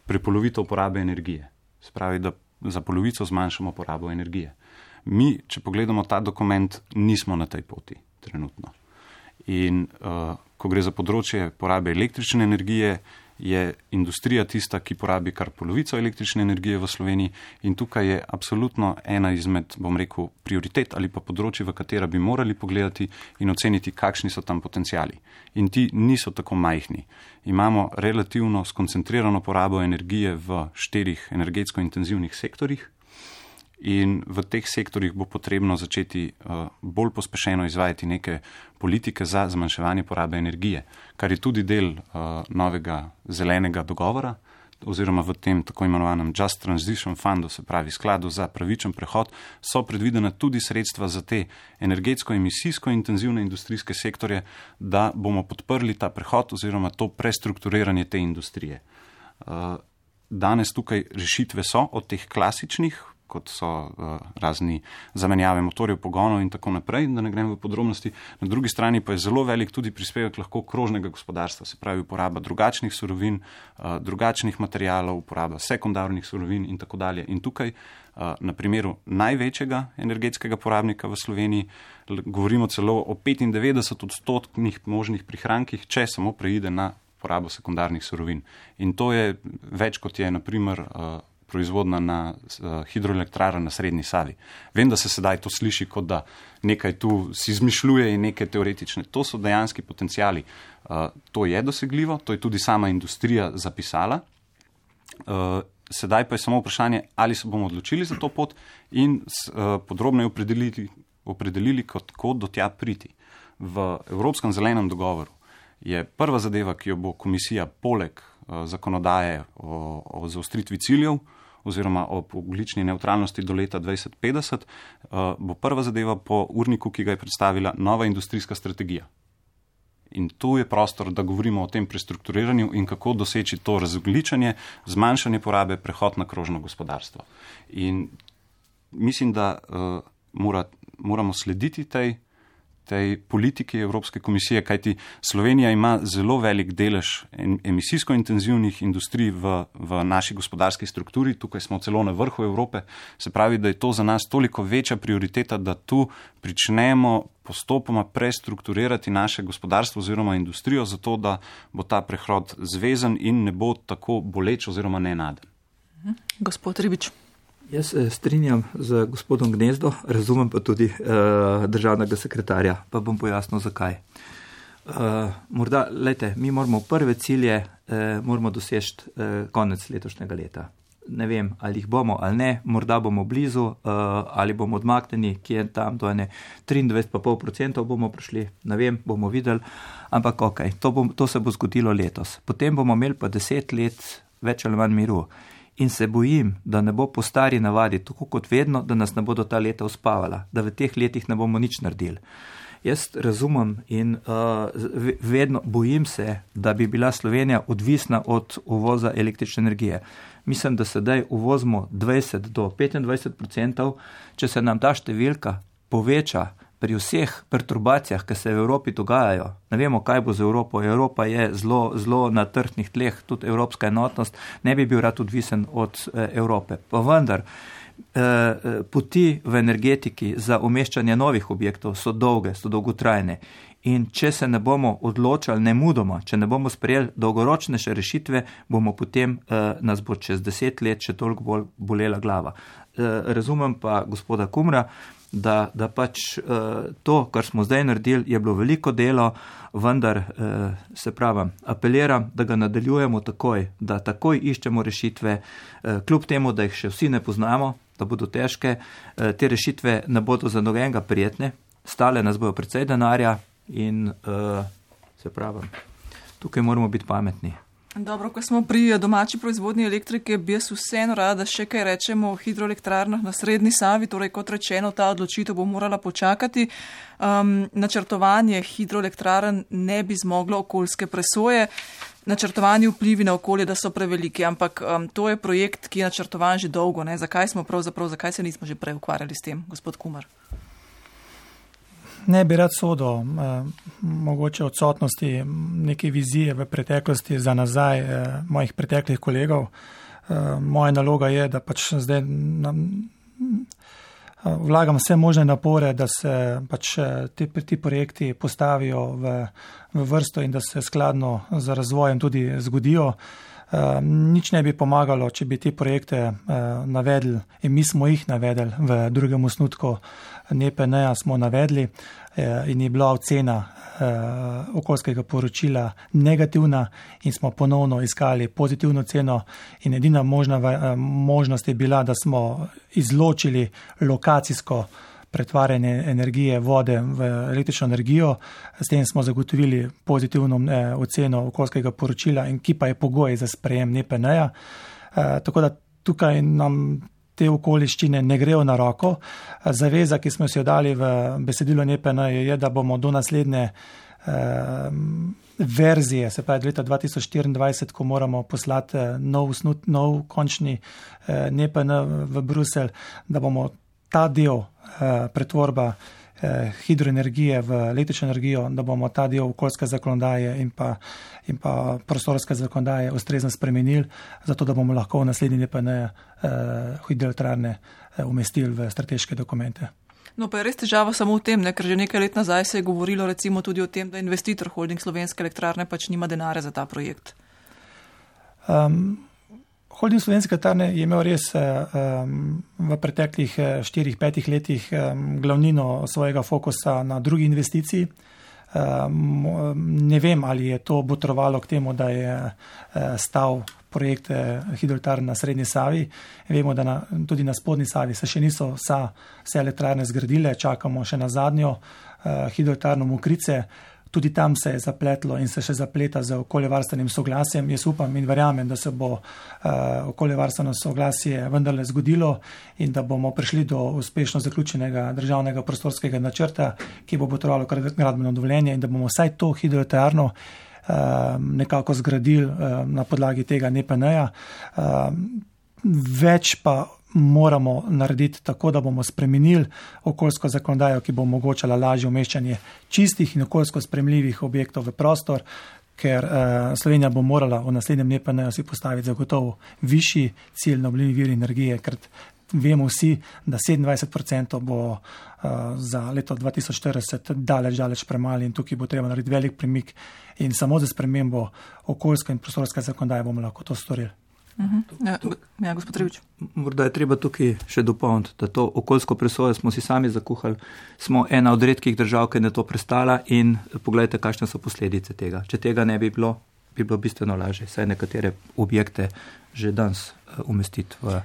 prepolovitev porabe energije. Se pravi, da za polovico zmanjšamo porabo energije. Mi, če pogledamo ta dokument, nismo na tej poti trenutno. In ko gre za področje porabe električne energije, je industrija tista, ki porabi kar polovico električne energije v Sloveniji, in tukaj je absolutno ena izmed, prioritet ali pa področji, v katera bi morali pogledati in oceniti, kakšni so tam potenciali. In ti niso tako majhni. Imamo relativno skoncentrirano porabo energije v 4 energetsko intenzivnih sektorjih, in v teh sektorjih bo potrebno začeti bolj pospešeno izvajati neke politike za zmanjševanje porabe energije, kar je tudi del novega zelenega dogovora, oziroma v tem tako imenovanem Just Transition Fundu, se pravi skladu za pravičen prehod, so predvidena tudi sredstva za te energetsko-emisijsko intenzivne industrijske sektorje, da bomo podprli ta prehod oziroma to prestrukturiranje te industrije. Danes tukaj rešitve so od teh klasičnih, kot so razni zamenjave motorjev, pogonov in tako naprej, da ne grem v podrobnosti. Na drugi strani pa je zelo velik tudi prispevek lahko krožnega gospodarstva, se pravi uporaba drugačnih surovin, drugačnih materialov, uporaba sekundarnih surovin in tako dalje. In tukaj na primeru največjega energetskega porabnika v Sloveniji govorimo celo o 95% možnih prihrankih, če samo preide na porabo sekundarnih surovin. In to je več, kot je na primer proizvodna na hidroelektrarna na Srednji Savi. Vem, da se sedaj to sliši, kot da nekaj tu si izmišljuje in nekaj teoretične. To so dejanski potencijali. To je dosegljivo, to je tudi sama industrija zapisala. Sedaj pa je samo vprašanje, ali se bomo odločili za to pot in podrobneje opredelili, kako do tja priti. V Evropskem zelenem dogovoru je prva zadeva, ki jo bo komisija poleg zakonodaje o zaostritvi ciljev oziroma o ogljični nevtralnosti do leta 2050, bo prva zadeva po urniku, ki ga je predstavila nova industrijska strategija. In tu je prostor, da govorimo o tem prestrukturiranju in kako doseči to razogljičenje, zmanjšanje porabe, prehod na krožno gospodarstvo. In mislim, da moramo slediti tej politiki Evropske komisije, kajti Slovenija ima zelo velik delež emisijsko intenzivnih industrij v naši gospodarski strukturi, tukaj smo celo na vrhu Evrope, se pravi, da je to za nas toliko večja prioriteta, da tu pričnemo postopoma prestrukturirati naše gospodarstvo oziroma industrijo, zato da bo ta prehod zvezen in ne bo tako boleč oziroma nenaden. Gospod Ribič. Jaz strinjam z gospodom Gnezdo, razumem pa tudi državnega sekretarja, pa bom pojasnil zakaj. Morda, mi moramo prve cilje moramo doseči konec letošnjega leta. ne vem, ali jih bomo ali ne, morda bomo blizu, ali bomo odmaknjeni, ki je tam do 23,5% bomo prišli, ne vem, bomo videli, ampak to se bo zgodilo letos. Potem bomo imeli pa 10 let več ali manj miru. In se bojim, da ne bo po stari navadi, tako kot vedno, da nas ne bodo ta leta uspavala, da v teh letih ne bomo nič naredili. Jaz razumem in vedno bojim se, da bi bila Slovenija odvisna od uvoza električne energije. Mislim, da sedaj uvozimo 20 do 25%, če se nam ta številka poveča pri vseh perturbacijah, ki se v Evropi dogajajo. Ne vemo, kaj bo z Evropo. Evropa je zelo na trhnih tleh, tudi evropska enotnost, ne bi bil rad odvisen od Evrope. Pa vendar, poti v energetiki za umeščanje novih objektov so dolge, so dolgotrajne. In če se ne bomo odločali nemudoma, če ne bomo sprejeli dolgoročnejše rešitve, bomo potem nas bo čez 10 let še toliko bolj bolela glava. Razumem pa gospoda Kumra, da pač to, kar smo zdaj naredili, je bilo veliko delo, vendar se pravim, apeliram, da ga nadaljujemo takoj, da takoj iščemo rešitve, kljub temu, da jih še vsi ne poznamo, da bodo težke, te rešitve ne bodo za nobenega prijetne, stale nas bojo precej denarja in se pravim, tukaj moramo biti pametni. Dobro, ko smo pri domači proizvodnji elektrike, bi jaz vseeno rada še kaj rečemo o hidroelektrarnah na Srednji Savi, torej kot rečeno, ta odločitev bo morala počakati. Načrtovanje hidroelektrarn ne bi zmoglo okoljske presoje, načrtovani vplivi na okolje, da so preveliki, ampak to je projekt, ki je načrtovan že dolgo. Ne? Zakaj se nismo že prej ukvarjali s tem, gospod Kumar? Ne bi rad sodil mogoče odsotnosti neke vizije v preteklosti za nazaj mojih preteklih kolegov. Moja naloga je, da pač zdaj vlagam vse možne napore, da se pač ti projekti postavijo v vrsto in da se skladno z razvojem tudi zgodijo. Nič ne bi pomagalo, če bi te projekte navedli in mi smo jih navedli v drugem osnutku NEPN-ja smo navedli in je bila ocena okoljskega poročila negativna in smo ponovno iskali pozitivno ceno in edina možnost je bila, da smo izločili lokacijsko pretvarjanje energije vode v električno energijo, s tem smo zagotovili pozitivno oceno okoljskega poročila in ki pa je pogoj za sprejem NEPN-ja. Tako da tukaj nam te okoliščine ne grejo na roko. Zaveza, ki smo si jo dali v besedilo NEPN, je, da bomo do naslednje verzije, se pravi leta 2024, ko moramo poslati nov končni NEPN v Bruselj, da bomo ta del pretvorba hidroenergije v električno energijo, da bomo ta del okoljske zakonodaje in pa prostorske zakonodaje ustrezno spremenili, zato da bomo lahko v naslednji NEPN hidroelektrarne umestili v strateške dokumente. No, pa je res težava samo v tem, ker že nekaj let nazaj se je govorilo recimo tudi o tem, da investitor Holding Slovenske elektrarne pač nima denarja za ta projekt. Holding Slovenske elektrarne je imel res v preteklih 4-5 letih glavnino svojega fokusa na drugi investiciji. Ne vem, ali je to botrovalo k temu, da je stal projekt hidroelektrarn na Srednji Savi. Vemo, da tudi na Spodnji Savi se še niso vse elektrarne zgradile, čakamo še na zadnjo hidroelektrarno Mokrice. Tudi tam se je zapletlo in se še zapleta z okoljevarstvenim soglasjem. Jaz upam in verjamem, da se bo okoljevarstveno soglasje vendarle zgodilo in da bomo prišli do uspešno zaključenega državnega prostorskega načrta, ki bo potrebovalo gradbeno dovoljenje in da bomo vsaj to hidroelektrarno nekako zgradili na podlagi tega NEPN-ja. Več pa moramo narediti tako, da bomo spremenili okoljsko zakonodajo, ki bo omogočala lažje umeščanje čistih in okoljsko sprejemljivih objektov v prostor, ker Slovenija bo morala v naslednjem NEPN-ju si postaviti zagotovo višji cilj na obnovljive vire energije, ker vemo vsi, da 27% bo za leto 2040 daleč premalo in tukaj bo treba narediti velik premik in samo za spremembo okoljske in prostorske zakonodaje bomo lahko to storili. Ja, gospod Ribič. Morda je treba tukaj še dopolniti, da to okoljsko presojo smo si sami zakuhali. Smo ena od redkih držav, ki je to prestala in pogledajte, kakšne so posledice tega. Če tega ne bi bilo bistveno lažje. Saj nekatere objekte že danes umestiti v.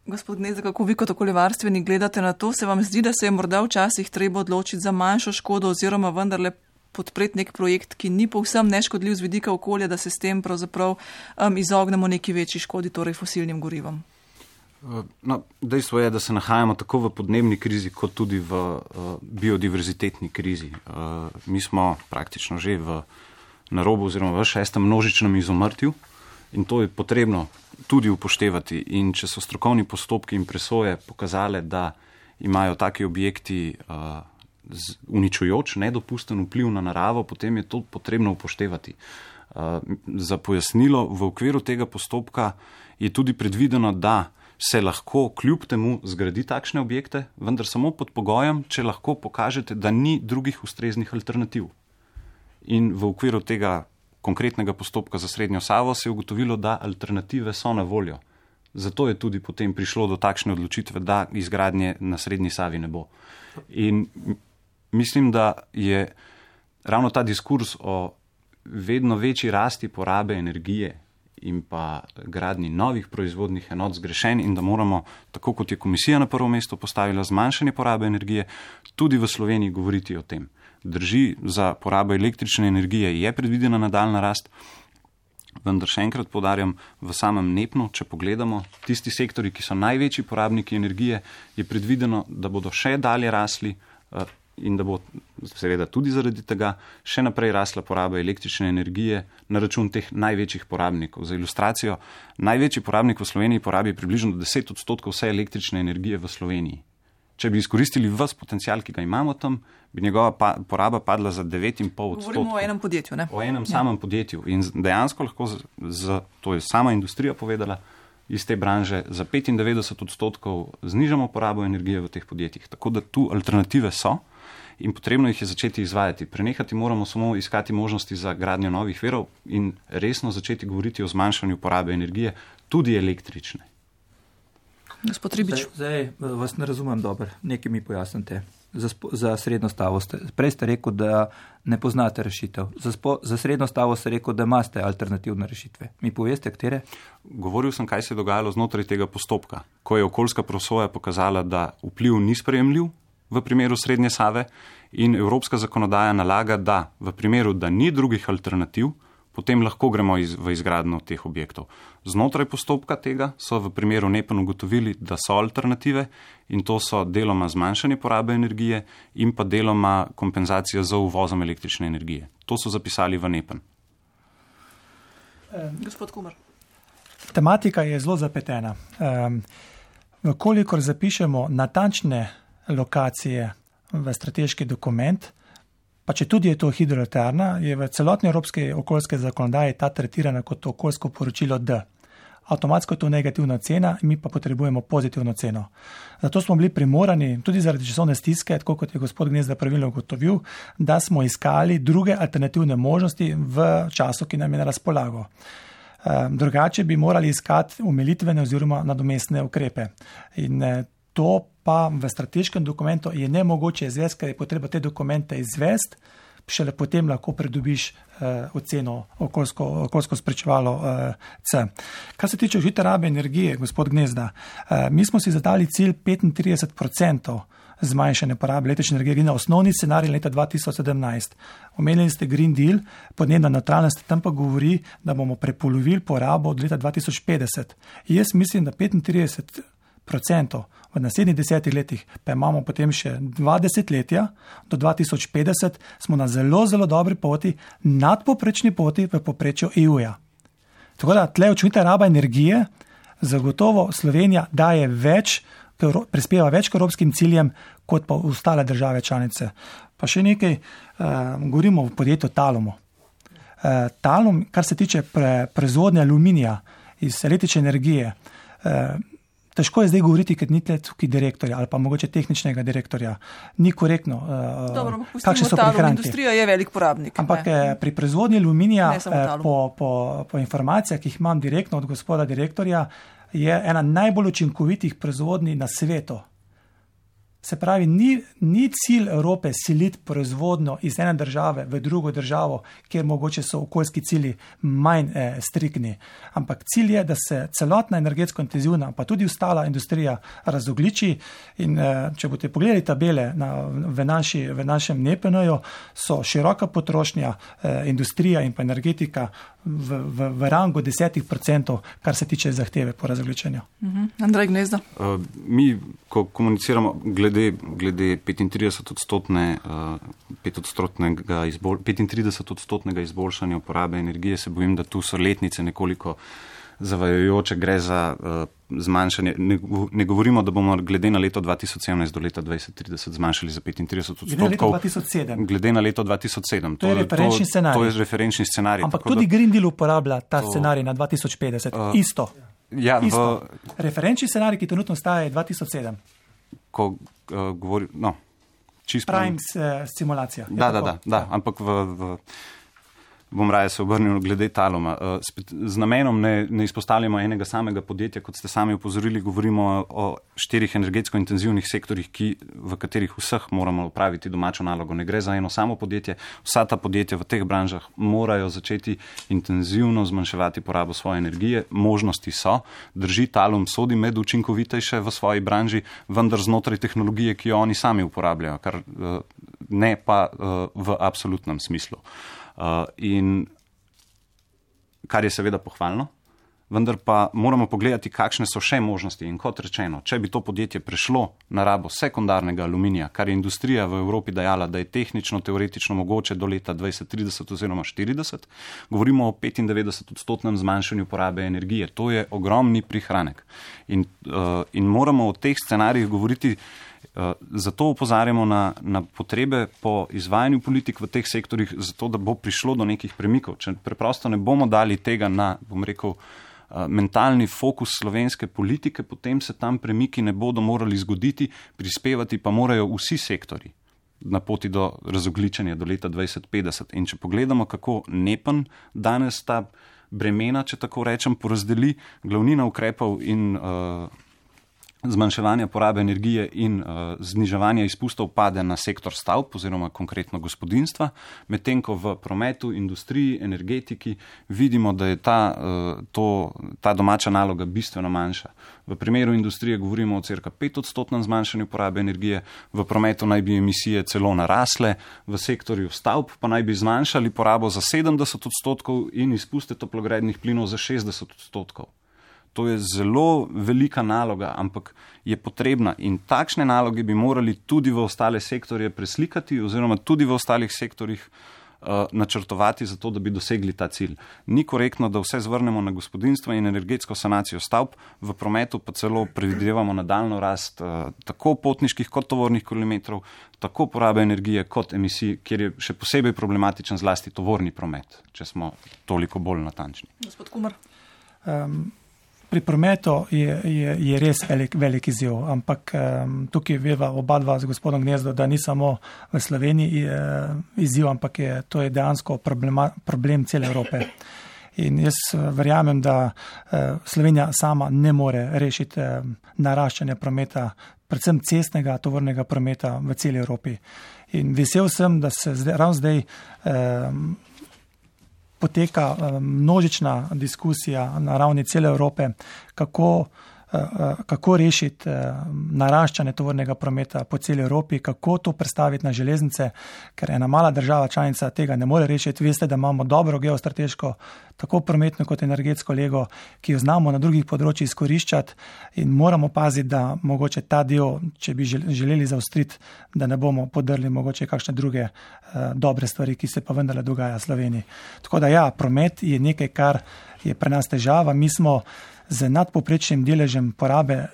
Gospod Gnezda, kako vi kot okoljevarstveni gledate na to? Se vam zdi, da se je morda včasih treba odločiti za manjšo škodo oziroma vendarle podpreti nek projekt, ki ni povsem neškodljiv z vidika okolja, da se s tem pravzaprav izognemo neki večji škodi, torej fosilnim gorivom? No, dejstvo je, da se nahajamo tako v podnebni krizi, kot tudi v biodiverzitetni krizi. Mi smo praktično že na robu oziroma v 6. množičnem izumrtju in to je potrebno tudi upoštevati. In če so strokovni postopki in presoje pokazale, da imajo taki objekti uničujoč, nedopusten vpliv na naravo, potem je to potrebno upoštevati. Za pojasnilo, v okviru tega postopka je tudi predvideno, da se lahko kljub temu zgradi takšne objekte, vendar samo pod pogojem, če lahko pokažete, da ni drugih ustreznih alternativ. In v okviru tega konkretnega postopka za Srednjo Savo se je ugotovilo, da alternative so na voljo. Zato je tudi potem prišlo do takšne odločitve, da izgradnje na Srednji Savi ne bo. In mislim, da je ravno ta diskurs o vedno večji rasti porabe energije in pa gradnji novih proizvodnih enot zgrešen in da moramo, tako kot je komisija na prvo mesto postavila zmanjšanje porabe energije, tudi v Sloveniji govoriti o tem. Drži, za porabo električne energije je predvidena nadaljna rast, vendar še enkrat poudarjam, v samem NEPN-u, če pogledamo, tisti sektori, ki so največji porabniki energije, je predvideno, da bodo še dalje rasli in da bo seveda tudi zaradi tega še naprej rasla poraba električne energije na račun teh največjih porabnikov. Za ilustracijo, največji porabnik v Sloveniji porabi približno 10% vse električne energije v Sloveniji. Če bi izkoristili ves potencial, ki ga imamo tam, bi njegova poraba padla za 9,5%. Govorimo o enem podjetju, ne? O enem samem podjetju. In dejansko lahko, to je sama industrija povedala, iz te branže za 95% znižamo porabo energije v teh podjetjih. Tako da tu alternative so in potrebno jih je začeti izvajati. Prenehati moramo samo iskati možnosti za gradnjo novih virov in resno začeti govoriti o zmanjšanju porabe energije, tudi električne. Gospod Ribič. Zdaj vas ne razumem dobro, nekaj mi pojasnite. Za Srednjo Stavo prej ste rekel, da ne poznate rešitev. Za Srednjo Stavo ste rekel, da imate alternativne rešitve. Mi poveste, katere? Govoril sem, kaj se je dogajalo znotraj tega postopka, ko je okoljska presoja pokazala, da vpliv ni sprejemljiv v primeru Srednje Save in evropska zakonodaja nalaga, da v primeru, da ni drugih alternativ, potem lahko gremo v izgradnjo teh objektov. Znotraj postopka tega so v primeru NEPN ugotovili, da so alternative in to so deloma zmanjšanje porabe energije in pa deloma kompenzacija za uvozom električne energije. To so zapisali v NEPN. Gospod Kumar. Tematika je zelo zapletena. Kolikor zapišemo natančne lokacije v strateški dokument, pa če tudi je to hidroelektrarna, je v celotni evropske okoljske zakonodaji ta tretirana kot okoljsko poročilo D. Avtomatsko je to negativna cena, mi pa potrebujemo pozitivno ceno. Zato smo bili primorani, tudi zaradi časovne stiske, tako kot je gospod Gnezda pravilno ugotovil, da smo iskali druge alternativne možnosti v času, ki nam je na razpolago. Drugače bi morali iskati omilitvene oziroma nadomestne ukrepe. In to pa v strateškem dokumentu je nemogoče izvesti, ker je potreba te dokumente izvesti, šele potem lahko pridobiš oceno okoljsko spričevalo C. Kar se tiče užite rabe energije, gospod Gnezda, mi smo si zadali cilj 35% zmanjšanje porabe električne energije na osnovni scenarij leta 2017. Omenili ste Green Deal, podnebna nevtralnost, tam pa govori, da bomo prepolovili porabo od leta 2050. Jaz mislim, da 35% v naslednjih 10 letih, pa imamo potem še 2 desetletja, do 2050 smo na zelo, zelo dobri poti, nadpoprečni poti v povprečju EU-ja. Tako da tle učinkovita raba energije, zagotovo Slovenija daje več, prispeva več k evropskim ciljem, kot pa ostale države članice. Pa še nekaj, govorimo o podjetju Talumu. Talum, kar se tiče proizvodnje aluminija iz električne energije, težko je zdaj govoriti, ker ni tukaj direktorja ali pa mogoče tehničnega direktorja. Ni korektno. Dobro, kakšne so prihranki. Industrija je velik porabnik. Ampak pri proizvodnji aluminija, po informacijah, ki jih imam direktno od gospoda direktorja, je ena najbolj učinkovitih proizvodnji na svetu. Se pravi, ni cilj Evrope siliti proizvodno iz ene države v drugo državo, kjer mogoče so okoljski cilji manj striktni. Ampak cilj je, da se celotna energetsko intenzivna, pa tudi ostala industrija razogliči. In če boste pogledali tabele v našem NEPN-ju, so široka potrošnja, industrija in pa energetika v rangu 10%, kar se tiče zahteve po razogličenju. Andrej Gnezda. Mi, ko komuniciramo glede 35% izboljšanja uporabe energije, se bojim, da tu so letnice nekoliko zavajajoče, gre za zmanjšanje. Ne govorimo, da bomo glede na leto 2017 do leta 2030 zmanjšali za 35%. Glede na leto 2007. To je referenčni scenarij. To je referenčni scenarij. Ampak tudi Green Deal uporablja ta scenarij na 2050. Isto. Ja, isto. Referenčni scenarij, ki trenutno staja, je 2007. Ko govori, Prime simulacija. Da, ampak bom raje se obrnil glede Taluma. Z namenom ne izpostavljamo enega samega podjetja, kot ste sami upozorili, govorimo o 4 energetsko intenzivnih sektorjih, v katerih vseh moramo opraviti domačo nalogo. Ne gre za eno samo podjetje, vsa ta podjetja v teh branžah morajo začeti intenzivno zmanjševati porabo svoje energije. Možnosti so, drži, Talum sodi med učinkovitejše v svoji branži, vendar znotraj tehnologije, ki jo oni sami uporabljajo, kar ne pa v absolutnem smislu. In kar je seveda pohvalno, vendar pa moramo pogledati, kakšne so še možnosti. In kot rečeno, če bi to podjetje prešlo na rabo sekundarnega aluminija, kar je industrija v Evropi dajala, da je tehnično, teoretično mogoče do leta 2030 oziroma 40, govorimo o 95% zmanjšanju porabe energije. To je ogromni prihranek. In moramo o teh scenarijih govoriti. Zato opozarjamo na potrebe po izvajanju politik v teh sektorjih, zato da bo prišlo do nekih premikov. Če preprosto ne bomo dali tega na, mentalni fokus slovenske politike, potem se tam premiki ne bodo morali zgoditi, prispevati pa morajo vsi sektori na poti do razogličenja do leta 2050. In če pogledamo, kako NEPN danes ta bremena, če tako rečem, porazdeli, glavnina ukrepov in zmanjševanja porabe energije in zniževanja izpustov pade na sektor stavb oziroma konkretno gospodinjstva, medtem ko v prometu, industriji, energetiki vidimo, da je ta domača naloga bistveno manjša. V primeru industrije govorimo o cirka 5% zmanjšanju porabe energije, v prometu naj bi emisije celo narasle, v sektorju stavb pa naj bi zmanjšali porabo za 70% in izpuste toplogrednih plinov za 60%. To je zelo velika naloga, ampak je potrebna in takšne naloge bi morali tudi v ostale sektorje preslikati oziroma tudi v ostalih sektorjih načrtovati za to, da bi dosegli ta cilj. Ni korektno, da vse zvrnemo na gospodinjstvo in energetsko sanacijo stavb, v prometu pa celo predvidevamo nadaljno rast tako potniških kot tovornih kilometrov, tako porabe energije kot emisij, kjer je še posebej problematičen zlasti tovorni promet, če smo toliko bolj natančni. Gospod Kumar. Pri prometu je res velik izziv, ampak tukaj veva oba dva z gospodom Gnezdo, da ni samo v Sloveniji izziv, ampak to je dejansko problem cele Evrope. In jaz verjamem, da Slovenija sama ne more rešiti naraščanja prometa, predvsem cestnega tovornega prometa v celi Evropi. In vesel sem, da se ravno zdaj poteka množična diskusija na ravni cele Evrope, kako rešiti naraščanje tovornega prometa po celi Evropi, kako to predstaviti na železnice, ker ena mala država članica tega ne more rešiti. Veste, da imamo dobro geostrateško, tako prometno kot energetsko lego, ki jo znamo na drugih področjih izkoriščati in moramo paziti, da mogoče ta del, če bi želeli zaostriti, da ne bomo podrli mogoče kakšne druge dobre stvari, ki se pa vendarle dogaja v Sloveniji. Tako da ja, promet je nekaj, kar je pri nas težava. Mi smo z nadpoprečnim deležem porabe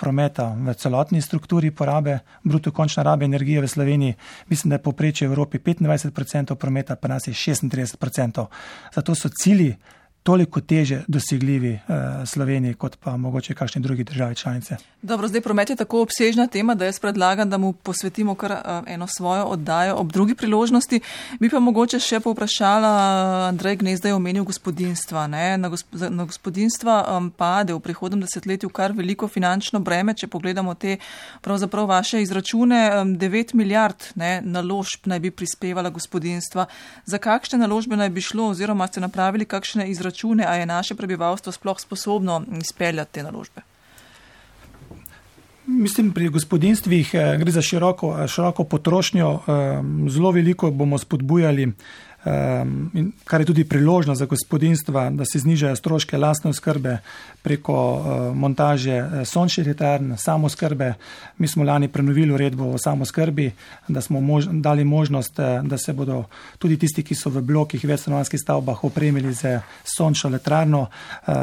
prometa v celotni strukturi porabe, bruto končne rabe energije v Sloveniji, mislim, da je povprečje v Evropi 25% prometa, pa nas je 36%. Zato so cilji toliko teže dosegljivi Sloveniji, kot pa mogoče kakšni drugi državi članice. Dobro, zdaj promet je tako obsežna tema, da jaz predlagam, da mu posvetimo kar eno svojo oddajo ob drugi priložnosti. Bi pa mogoče še povprašala, Andrej Gnezda je omenil gospodinjstva. Na gospodinjstva pade v prihodnem desetletju kar veliko finančno breme, če pogledamo te pravzaprav vaše izračune. 9 milijard naložb naj bi prispevala gospodinjstva. Za kakšne naložbe naj bi šlo oziroma ste napravili kakšne izračune, a je naše prebivalstvo sploh sposobno izpeljati te naložbe? Mislim, pri gospodinstvih gre za široko potrošnjo. Zelo veliko bomo spodbujali, kar je tudi priložnost za gospodinstva, da se znižajo stroške lastne oskrbe preko montaže sončnih elektrarn, samooskrbe. Mi smo lani prenovili uredbo o samooskrbi, da smo dali možnost, da se bodo tudi tisti, ki so v blokih večstanovanjskih stavbah, opremili z sončno elektrarno.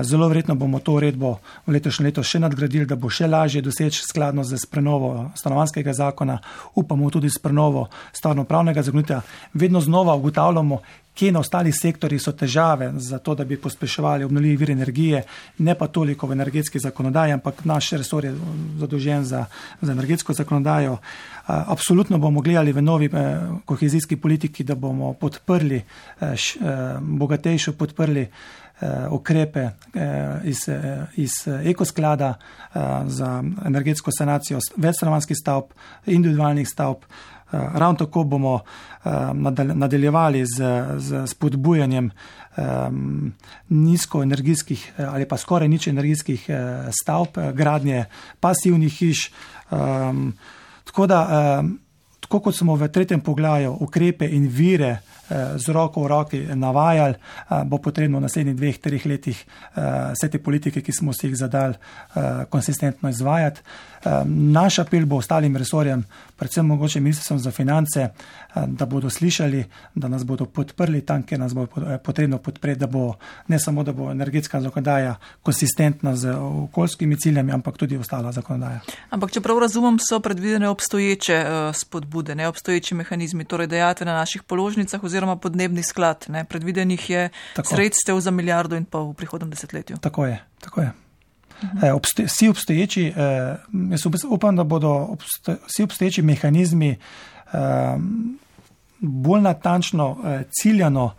Zelo verjetno bomo to uredbo v letošnjem letu še nadgradili, da bo še lažje doseči skladno z prenovo stanovanjskega zakona. Upamo tudi s prenovo stvarnopravnega zakonika. Vedno znova ugotavljamo, kje na ostalih sektorjih so težave za to, da bi pospeševali obnovljive vire energije, ne pa toliko v energetski zakonodaji, ampak naš resor je zadolžen za energetsko zakonodajo. Absolutno bomo gledali v novi kohezijski politiki, da bomo podprli, bogatejšo podprli ukrepe iz ekosklada za energetsko sanacijo večstanovanjskih stavb, individualnih stavb. Ravno tako bomo nadaljevali z spodbujanjem nizkoenergijskih ali pa skoraj nič energijskih stavb, gradnje pasivnih hiš. Tako kot smo v 3. poglavju ukrepe in vire z roko v roki navajali, bo potrebno v naslednjih 2-3 letih vse te politike, ki smo si jih zadali, konsistentno izvajati. Naš apel bo ostalim resorjem, predvsem mogoče ministrstvom za finance, da bodo slišali, da nas bodo podprli tam, kjer nas bo potrebno podpreti, da bo ne samo, da bo energetska zakonodaja konsistentna z okoljskimi ciljami, ampak tudi ostala zakonodaja. Ampak čeprav razumem, so predvidene obstoječe spodbude, neobstoječi mehanizmi, torej dajatve na naših položnicah oziroma podnebni sklad. Predvidenih je sredstev za 1,5 milijarde v prihodnem desetletju. Tako je. Vsi obstoječi, jaz upam, da bodo vsi obstoječi mehanizmi bolj natančno, ciljano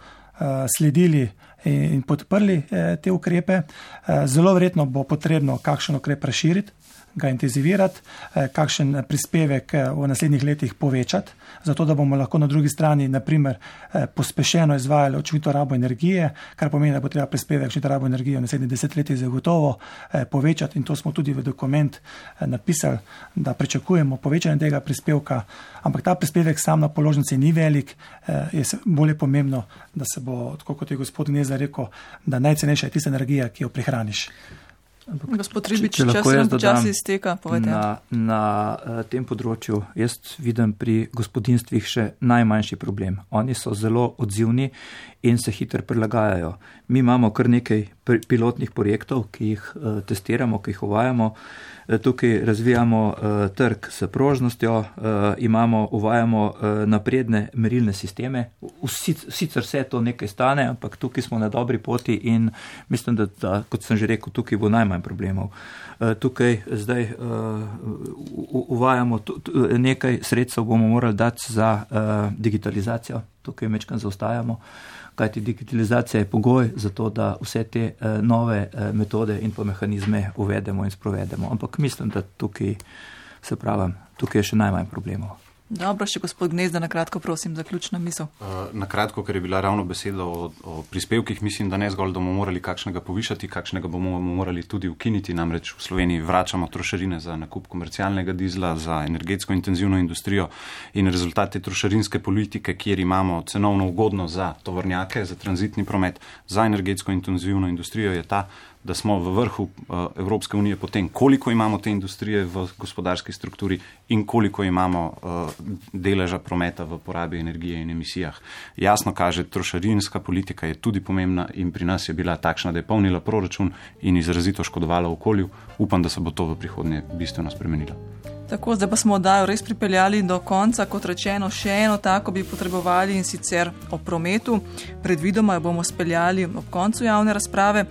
sledili in podprli te ukrepe. Zelo verjetno bo potrebno kakšen ukrep razširiti, ga intenzivirati, kakšen prispevek v naslednjih letih povečati, zato da bomo lahko na drugi strani naprimer pospešeno izvajali učinkovito rabo energije, kar pomeni, da bo treba prispevek učinkovito rabo energije v naslednjih 10 letih zagotovo povečati, in to smo tudi v dokument napisali, da pričakujemo povečanje tega prispevka, ampak ta prispevek sam na položnici ni velik, je bolje pomembno, da se bo, tako kot je gospod Gnezda rekel, da najcenejša je tista energija, ki jo prihraniš. Gospod Ribič, čas nam počasi izteka, povejte. Na tem področju jaz vidim pri gospodinstvih še najmanjši problem. Oni so zelo odzivni in se hitro prilagajajo. Mi imamo kar nekaj pilotnih projektov, ki jih testiramo, ki jih uvajamo. Tukaj razvijamo trg s prožnostjo, uvajamo napredne merilne sisteme. Sicer vse to nekaj stane, ampak tukaj smo na dobri poti in mislim, da kot sem že rekel, tukaj bo najmanj problemov. Tukaj zdaj uvajamo nekaj sredstev, bomo morali dati za digitalizacijo. Tukaj mečkam zaostajamo, kajti digitalizacija je pogoj za to, da vse te nove metode in pa mehanizme uvedemo in sprovedemo. Ampak mislim, da tukaj je še najmanj problemov. Dobro, še gospod Gnezda, na kratko prosim, zaključna misel. Na kratko, ker je bila ravno beseda o prispevkih, mislim, da ne zgolj, da bomo morali kakšnega povišati, kakšnega bomo morali tudi ukiniti, namreč v Sloveniji vračamo trošarine za nakup komercialnega dizla, za energetsko intenzivno industrijo in rezultat te trošarinske politike, kjer imamo cenovno ugodno za tovornjake, za tranzitni promet, za energetsko intenzivno industrijo, je ta, da smo v vrhu Evropske unije po tem, koliko imamo te industrije v gospodarski strukturi in koliko imamo deleža prometa v porabi energije in emisijah. Jasno kaže, trošarinska politika je tudi pomembna in pri nas je bila takšna, da je polnila proračun in izrazito škodovala okolju. Upam, da se bo to v prihodnje bistveno spremenilo. Tako, zdaj pa smo oddajo res pripeljali do konca, kot rečeno, še eno tako bi potrebovali in sicer o prometu. Predvidoma jo bomo speljali ob koncu javne razprave.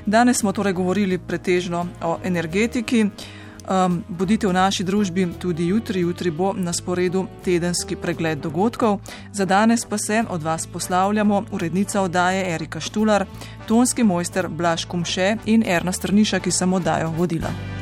Danes smo torej govorili pretežno o energetiki. Bodite v naši družbi tudi jutri. Jutri bo na sporedu tedenski pregled dogodkov. Za danes pa se od vas poslavljamo urednica oddaje Erika Štular, tonski mojster Blaž Kumše in Erna Strniša, ki sem oddajo vodila.